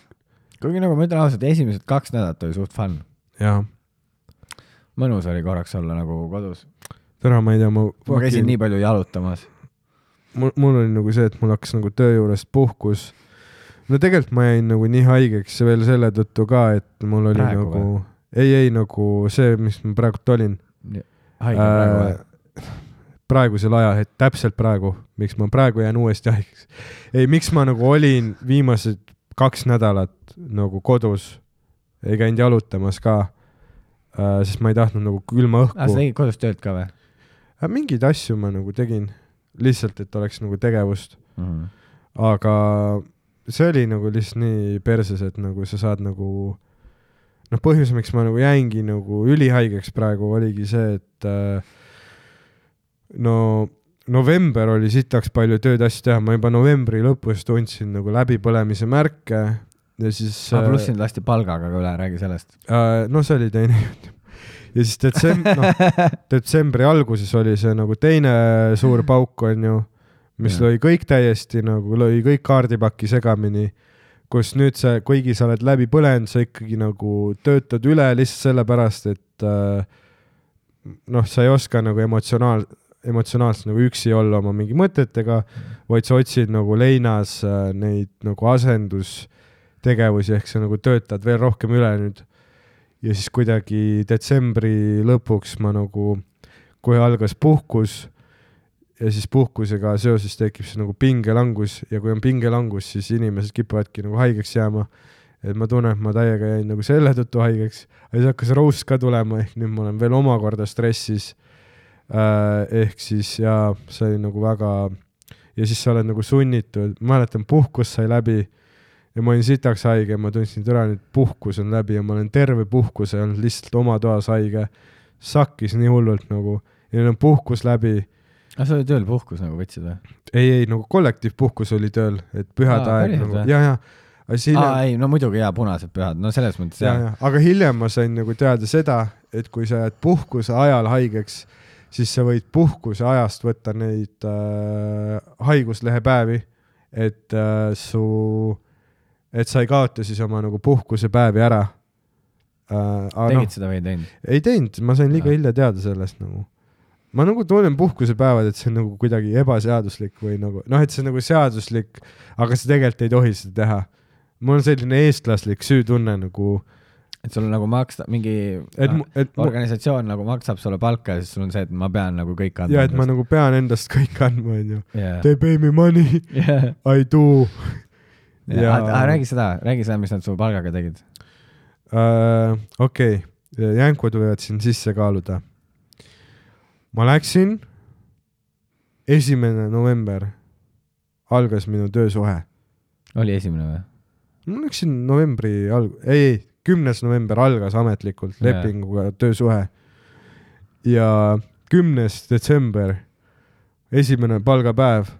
kuigi nagu ma ütlen ausalt , esimesed kaks nädalat oli suht fun . jah , mõnus oli korraks olla nagu kodus . täna ma ei tea , ma ma käisin nii palju jalutamas . mul, mul oli nagu see , et mul hakkas nagu töö juurest puhkus . no tegelikult ma jäin nagu nii haigeks veel selle tõttu ka , et mul oli Praegu nagu , ei , ei nagu see , mis ma praegult olin . haige praegu või ? praegusel ajal , et täpselt praegu , miks ma praegu jään uuesti haigeks . ei , miks ma nagu olin viimased kaks nädalat nagu kodus , ei käinud jalutamas ka äh, , sest ma ei tahtnud nagu külma õhku aa , sa tegid kodus tööd ka või äh, ? mingeid asju ma nagu tegin , lihtsalt , et oleks nagu tegevust , mm ? -hmm. aga see oli nagu lihtsalt nii perses , et nagu sa saad nagu noh , põhjus , miks ma nagu jäingi nagu ülihaigeks praegu oligi see , et äh, no november oli sitaks palju tööd asju teha , ma juba novembri lõpus tundsin nagu läbipõlemise märke ja siis ah, . pluss sind lasti palgaga ka üle , räägi sellest . äh, no see oli teine jutt . ja siis detsemb- , no, detsembri alguses oli see nagu teine suur pauk onju , mis Ja. lõi kõik täiesti nagu , lõi kõik kaardipaki segamini , kus nüüd sa , kuigi sa oled läbi põlenud , sa ikkagi nagu töötad üle lihtsalt sellepärast , et äh, noh , sa ei oska nagu emotsionaal- , emotsionaalselt nagu üksi olla oma mingi mõtetega , vaid sa otsid nagu leinas äh, neid nagu asendustegevusi , ehk sa nagu töötad veel rohkem üle nüüd . ja siis kuidagi detsembri lõpuks ma nagu , kohe algas puhkus ja siis puhkusega seoses tekib see nagu pingelangus ja kui on pingelangus , siis inimesed kipuvadki nagu haigeks jääma . et ma tunnen , et ma täiega jäin nagu selle tõttu haigeks , aga siis hakkas roust ka tulema , ehk nüüd ma olen veel omakorda stressis . ehk siis jaa , see oli nagu väga ja siis sa oled nagu sunnitud , mäletan , puhkus sai läbi ja ma olin sitaks haige ja ma tundsin , et ära nüüd puhkus on läbi ja ma olen terve puhkuse olnud lihtsalt oma toas haige , sakkis nii hullult nagu ja neil on puhkus läbi. Ah, sa oli tööl puhkus nagu võtsid või? Ei, ei, nagu kollektiivpuhkus oli tööl, et pühade Aa, aeg päriselt nagu, või? ja, ja. Aga hiljem, Aa, ei, no muidugi jaa, punased pühad, no selles mõttes ja, jah. ja, aga hiljem ma sain nagu teada seda, et kui sa jääd puhkuse ajal haigeks, siis sa võid puhkuse ajast võtta neid äh, haiguslehepäevi, et äh, su, et sa ei kaota siis oma nagu puhkusepäevi ära. Äh, Tegid no, seda või ei teinud? ei teinud, ma sain liiga hilja teada sellest nagu. Ma nagu tunnen puhkusepäevad, et see on nagu kuidagi ebaseaduslik või nagu, noh, et see on nagu seaduslik, aga sa tegelikult ei tohi seda teha. Mul on selline eestlaslik süütunne nagu, et sul on nagu maksta, mingi et, no, et, organisatsioon nagu maksab sulle palka ja siis sul on see, et ma pean nagu kõik andma. ja, et ma nagu pean endast kõik andma, on ju. Yeah. They pay me money, Yeah. I do. Ja... Ah, ah, räägi seda, räägi seda, mis nad su palgaga tegid. Uh, okei, okay. Jänkud võivad siin sisse kaaluda. Ma läksin, esimene november algas minu töösuhe. Oli esimene või? Ma läksin novembri alg-, ei, ei, kümnes november algas ametlikult Yeah. lepinguga töösuhe. Ja kümnes detsember, esimene palgapäev,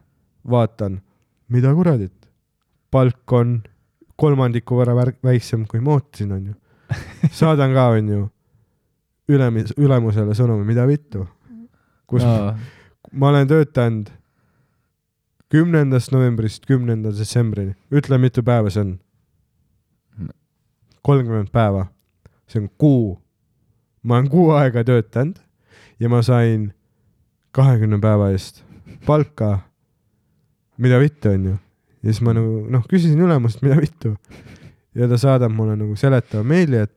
vaatan, mida kuradit, palk on kolmandiku võrra vär- väiksem kui ma ootasin, on ju. Saadan ka, on ju, ülemis, ülemusele sõnumi, mida vittu. Kus no. ma olen töötanud kümnendast novembrist kümnenda detsembrini. Ütle, mitu päeva see on? kolmkümmend päeva. See on kuu. Ma olen kuu aega töötanud ja ma sain kahekümne päeva eest palka, mida vittu on ju. Ja siis ma nagu, noh, küsisin ülemust, mida vittu. Ja ta saadab mulle nagu seletava meili, et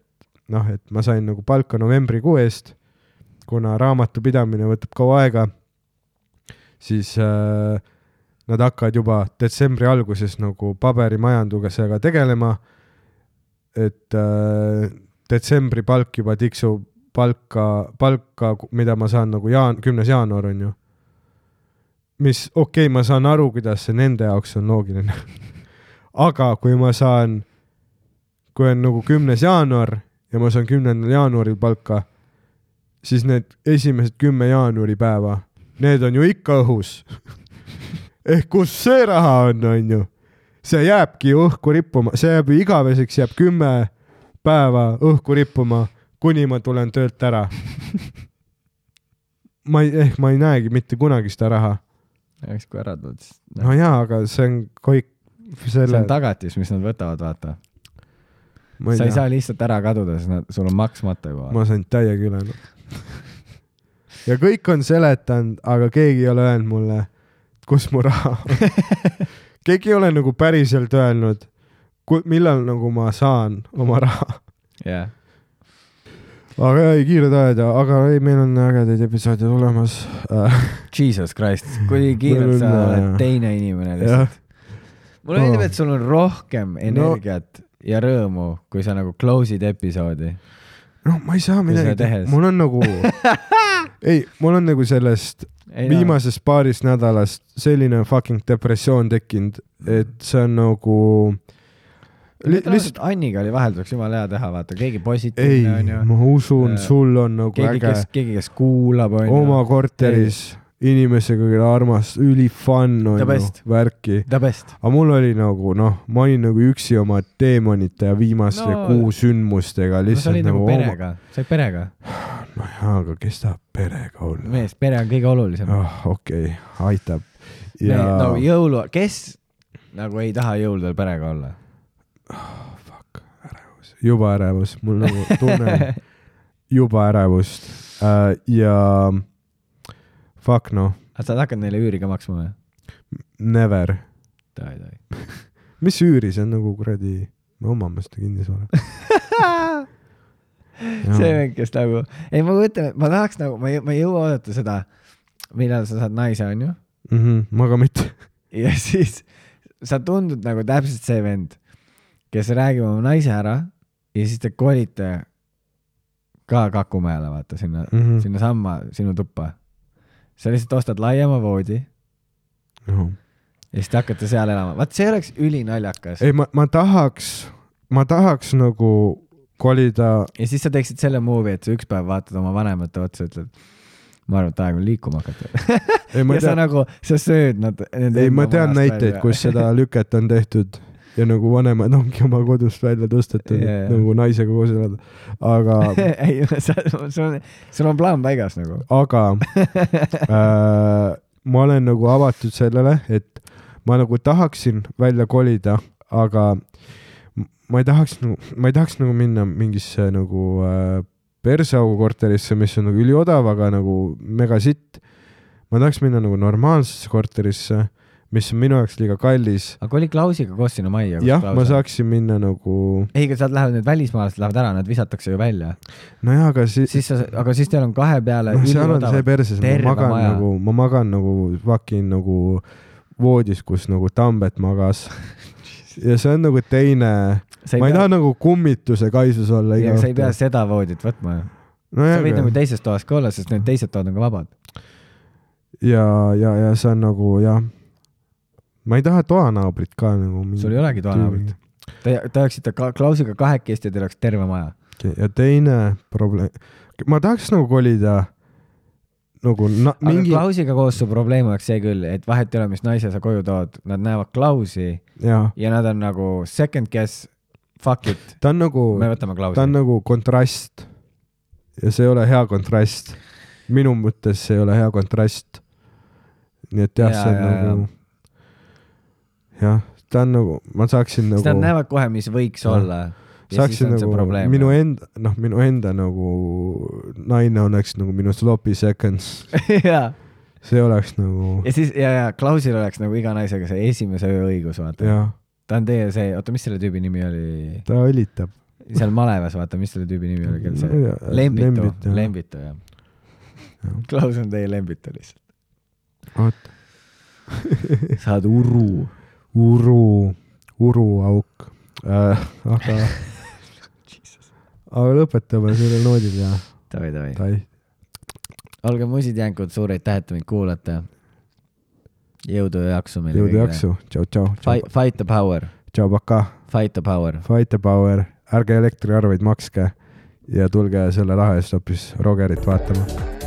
noh, et ma sain nagu palka novembri kuu eest, kuna raamatu pidamine võtab kaua aega, siis äh, nad hakkavad juba detsembri alguses nagu paberimajandusega tegelema, et äh, detsembri palk juba tiksub palka, palka, mida ma saan nagu jaan, kümnes jaanuar on ju. Mis okei, okay, ma saan aru, kuidas see nende jaoks on loogiline. Aga kui ma saan, kui on nagu kümnes jaanuar ja ma saan kümnendal jaanuaril palka, siis need esimesed kümme jaanuari päeva, need on ju ikka õhus. Ehk kus see raha on, on ju. See jääbki õhku rippuma, see jääb ju igaveseks, jääb kümme päeva õhku rippuma, kuni ma tulen töölt ära. Ma ei, ehk ma ei näegi mitte kunagi seda raha. Eks kui ära tuled, siis... No jaa, aga see on kõik selle... See on tagatis, mis nad võtavad, vaata. Ma ei, sa ei tea. saa lihtsalt ära kaduda, sest nad, sul on maksmata juba. Ma sain täiega üle. Ja kõik on seletanud, aga keegi ei ole öelnud mulle, kus mu raha on. Keegi ei ole nagu päriselt öelnud, millal nagu ma saan oma raha. Yeah. Aga ei, kiired ajad, aga ei, meil on ägedaid episoodid olemas. Jesus Christ, kui kiirelt sa oled teine inimene lihtsalt. Mulle meeldib, et sul on rohkem energiat no. ja rõõmu, kui sa nagu close'id episoodi. No ma ei saa midagi, mul on nagu ei, mul on nagu sellest ei, viimasest no. paarist nädalast selline fucking depressioon tekkinud, et see on nagu Li lihtsalt Anniga oli vahelduseks jumala hea teha, vaata, keegi positiivne on ju. Ei, ma usun, uh, sul on nagu keegi, äge. Kes, keegi, kes kuulab on oma ju. Korteris inimesega, kelle armas, üli fun on ju, värki. The best. Aga mul oli nagu, noh, ma olin nagu üksi oma teemonite ja viimaste no, kuu sündmustega. No sa olid nagu perega, oma... sa olid perega. No jaa, aga kes tahab perega olla? Mees, pere on kõige olulisem. Oh, okei, okay. Aitab. Ja... No, jõulu, kes nagu ei taha jõuludel perega olla? Oh, fuck, ärevus. Juba ärevus. Mul nagu tunnen juba ärevust. Uh, ja fuck noh. Aga sa hakkad neile üüri ka maksma või? Never. Tai, tai. Mis üüri? See on nagu kuradi, me omame seda kinnisvara. See venkest nagu, ei ma mõtlen, ma tahaks nagu, ma ei, ma ei jõua oodata seda, millal sa saad naise, on ju? Mm -hmm, ma ka mitte. Ja siis sa tundud nagu täpselt see vend, kes räägib oma naise ära ja siis te kolite ka Kakumäele, vaata, sinna, mm -hmm. sinna samma sinu tuppa. Sa lihtsalt ostad laiema voodi no. ja siis te hakkate seal elama. Vaat see oleks ülinaljakas. Ei, ma, ma tahaks, ma tahaks nagu kolida . ja siis sa teeksid selle move'i , et sa üks päev vaatad oma vanemate otsa , ütled , ma arvan , et aeg on liikuma hakata . ei , ma ja sa tean , nagu , sa sööd nad . ei , ma tean näiteid , kus seda lüket on tehtud ja nagu vanemad ongi oma kodust välja tõstetud Jaa, jaa. nagu naisega koos elada . aga , ei , sul on , sul on plaan paigas nagu . aga äh, ma olen nagu avatud sellele , et ma nagu tahaksin välja kolida , aga ma ei tahaks nagu , ma ei tahaks nagu minna mingisse nagu äh, perseaugu korterisse , mis on nagu üliodav , aga nagu mega sitt . ma tahaks minna nagu normaalsesse korterisse , mis on minu jaoks liiga kallis . aga kui oli Klausiga koos sinu majja ? jah , ma . saaksin minna nagu , ei , aga sealt lähevad need välismaalased lähevad ära , nad visatakse ju välja . nojah , aga siis, siis sa , aga siis teil on kahe peale noh , seal on see perses , ma terve magan maja. nagu , ma magan nagu fucking nagu voodis , kus nagu Tambet magas . ja see on nagu teine , ma ei taha nagu kummituse kaisus olla . sa ei pea seda voodit võtma ju . no, sa võid nagu teises toas ka olla , sest need teised toad on ka vabad . ja , ja , ja see on nagu jah , ma ei taha toanaabrit ka nagu . sul ei olegi toanaabrit . Te , te oleksite ka Klausiga kahekesti ja teil oleks terve maja . ja teine probleem , ma tahaks nagu kolida nagu na, aga mingi , Klausiga koos su probleem oleks see küll , et vahet ei ole , mis naise sa koju tood , nad näevad Klausi jaa , ja nad on nagu second guess , fuck it , ta on nagu , me võtame Klausi ta on . nagu kontrast ja see ei ole hea kontrast . minu mõttes see ei ole hea kontrast . nii et jah , Jaa, see on jaa, nagu , jah , ta on nagu , ma saaksin siis nad nagu , näevad kohe , mis võiks Jah. olla . saaksin nagu minu enda , noh , minu enda nagu naine oleks nagu minu sloppy seconds , ja , see oleks nagu , ja siis ja , ja Klausil oleks nagu iga naisega see esimese öö õigus , vaata . jah , ta on teie see , oota , mis selle tüübi nimi oli ? ta õlitab . seal malevas , vaata , mis selle tüübi nimi oli , kell Ma ei see tea, Lembitu Lembit, , jah. Lembitu jah Jah. . Klaus on teie Lembitu lihtsalt . oot , sa oled uru . uru , uruauk äh, . aga , aga lõpetame sellel noodil ja Davai , davai . tai , olge musitjänkud , suur aitäh , et meid kuulate . jõudu ja jaksu meile . jõudu jaksu , tšau , tšau , Fight, fight the power , tšau , paka , fight the power . fight the power , ärge elektriarveid makske ja tulge selle raha eest hoopis Rogerit vaatama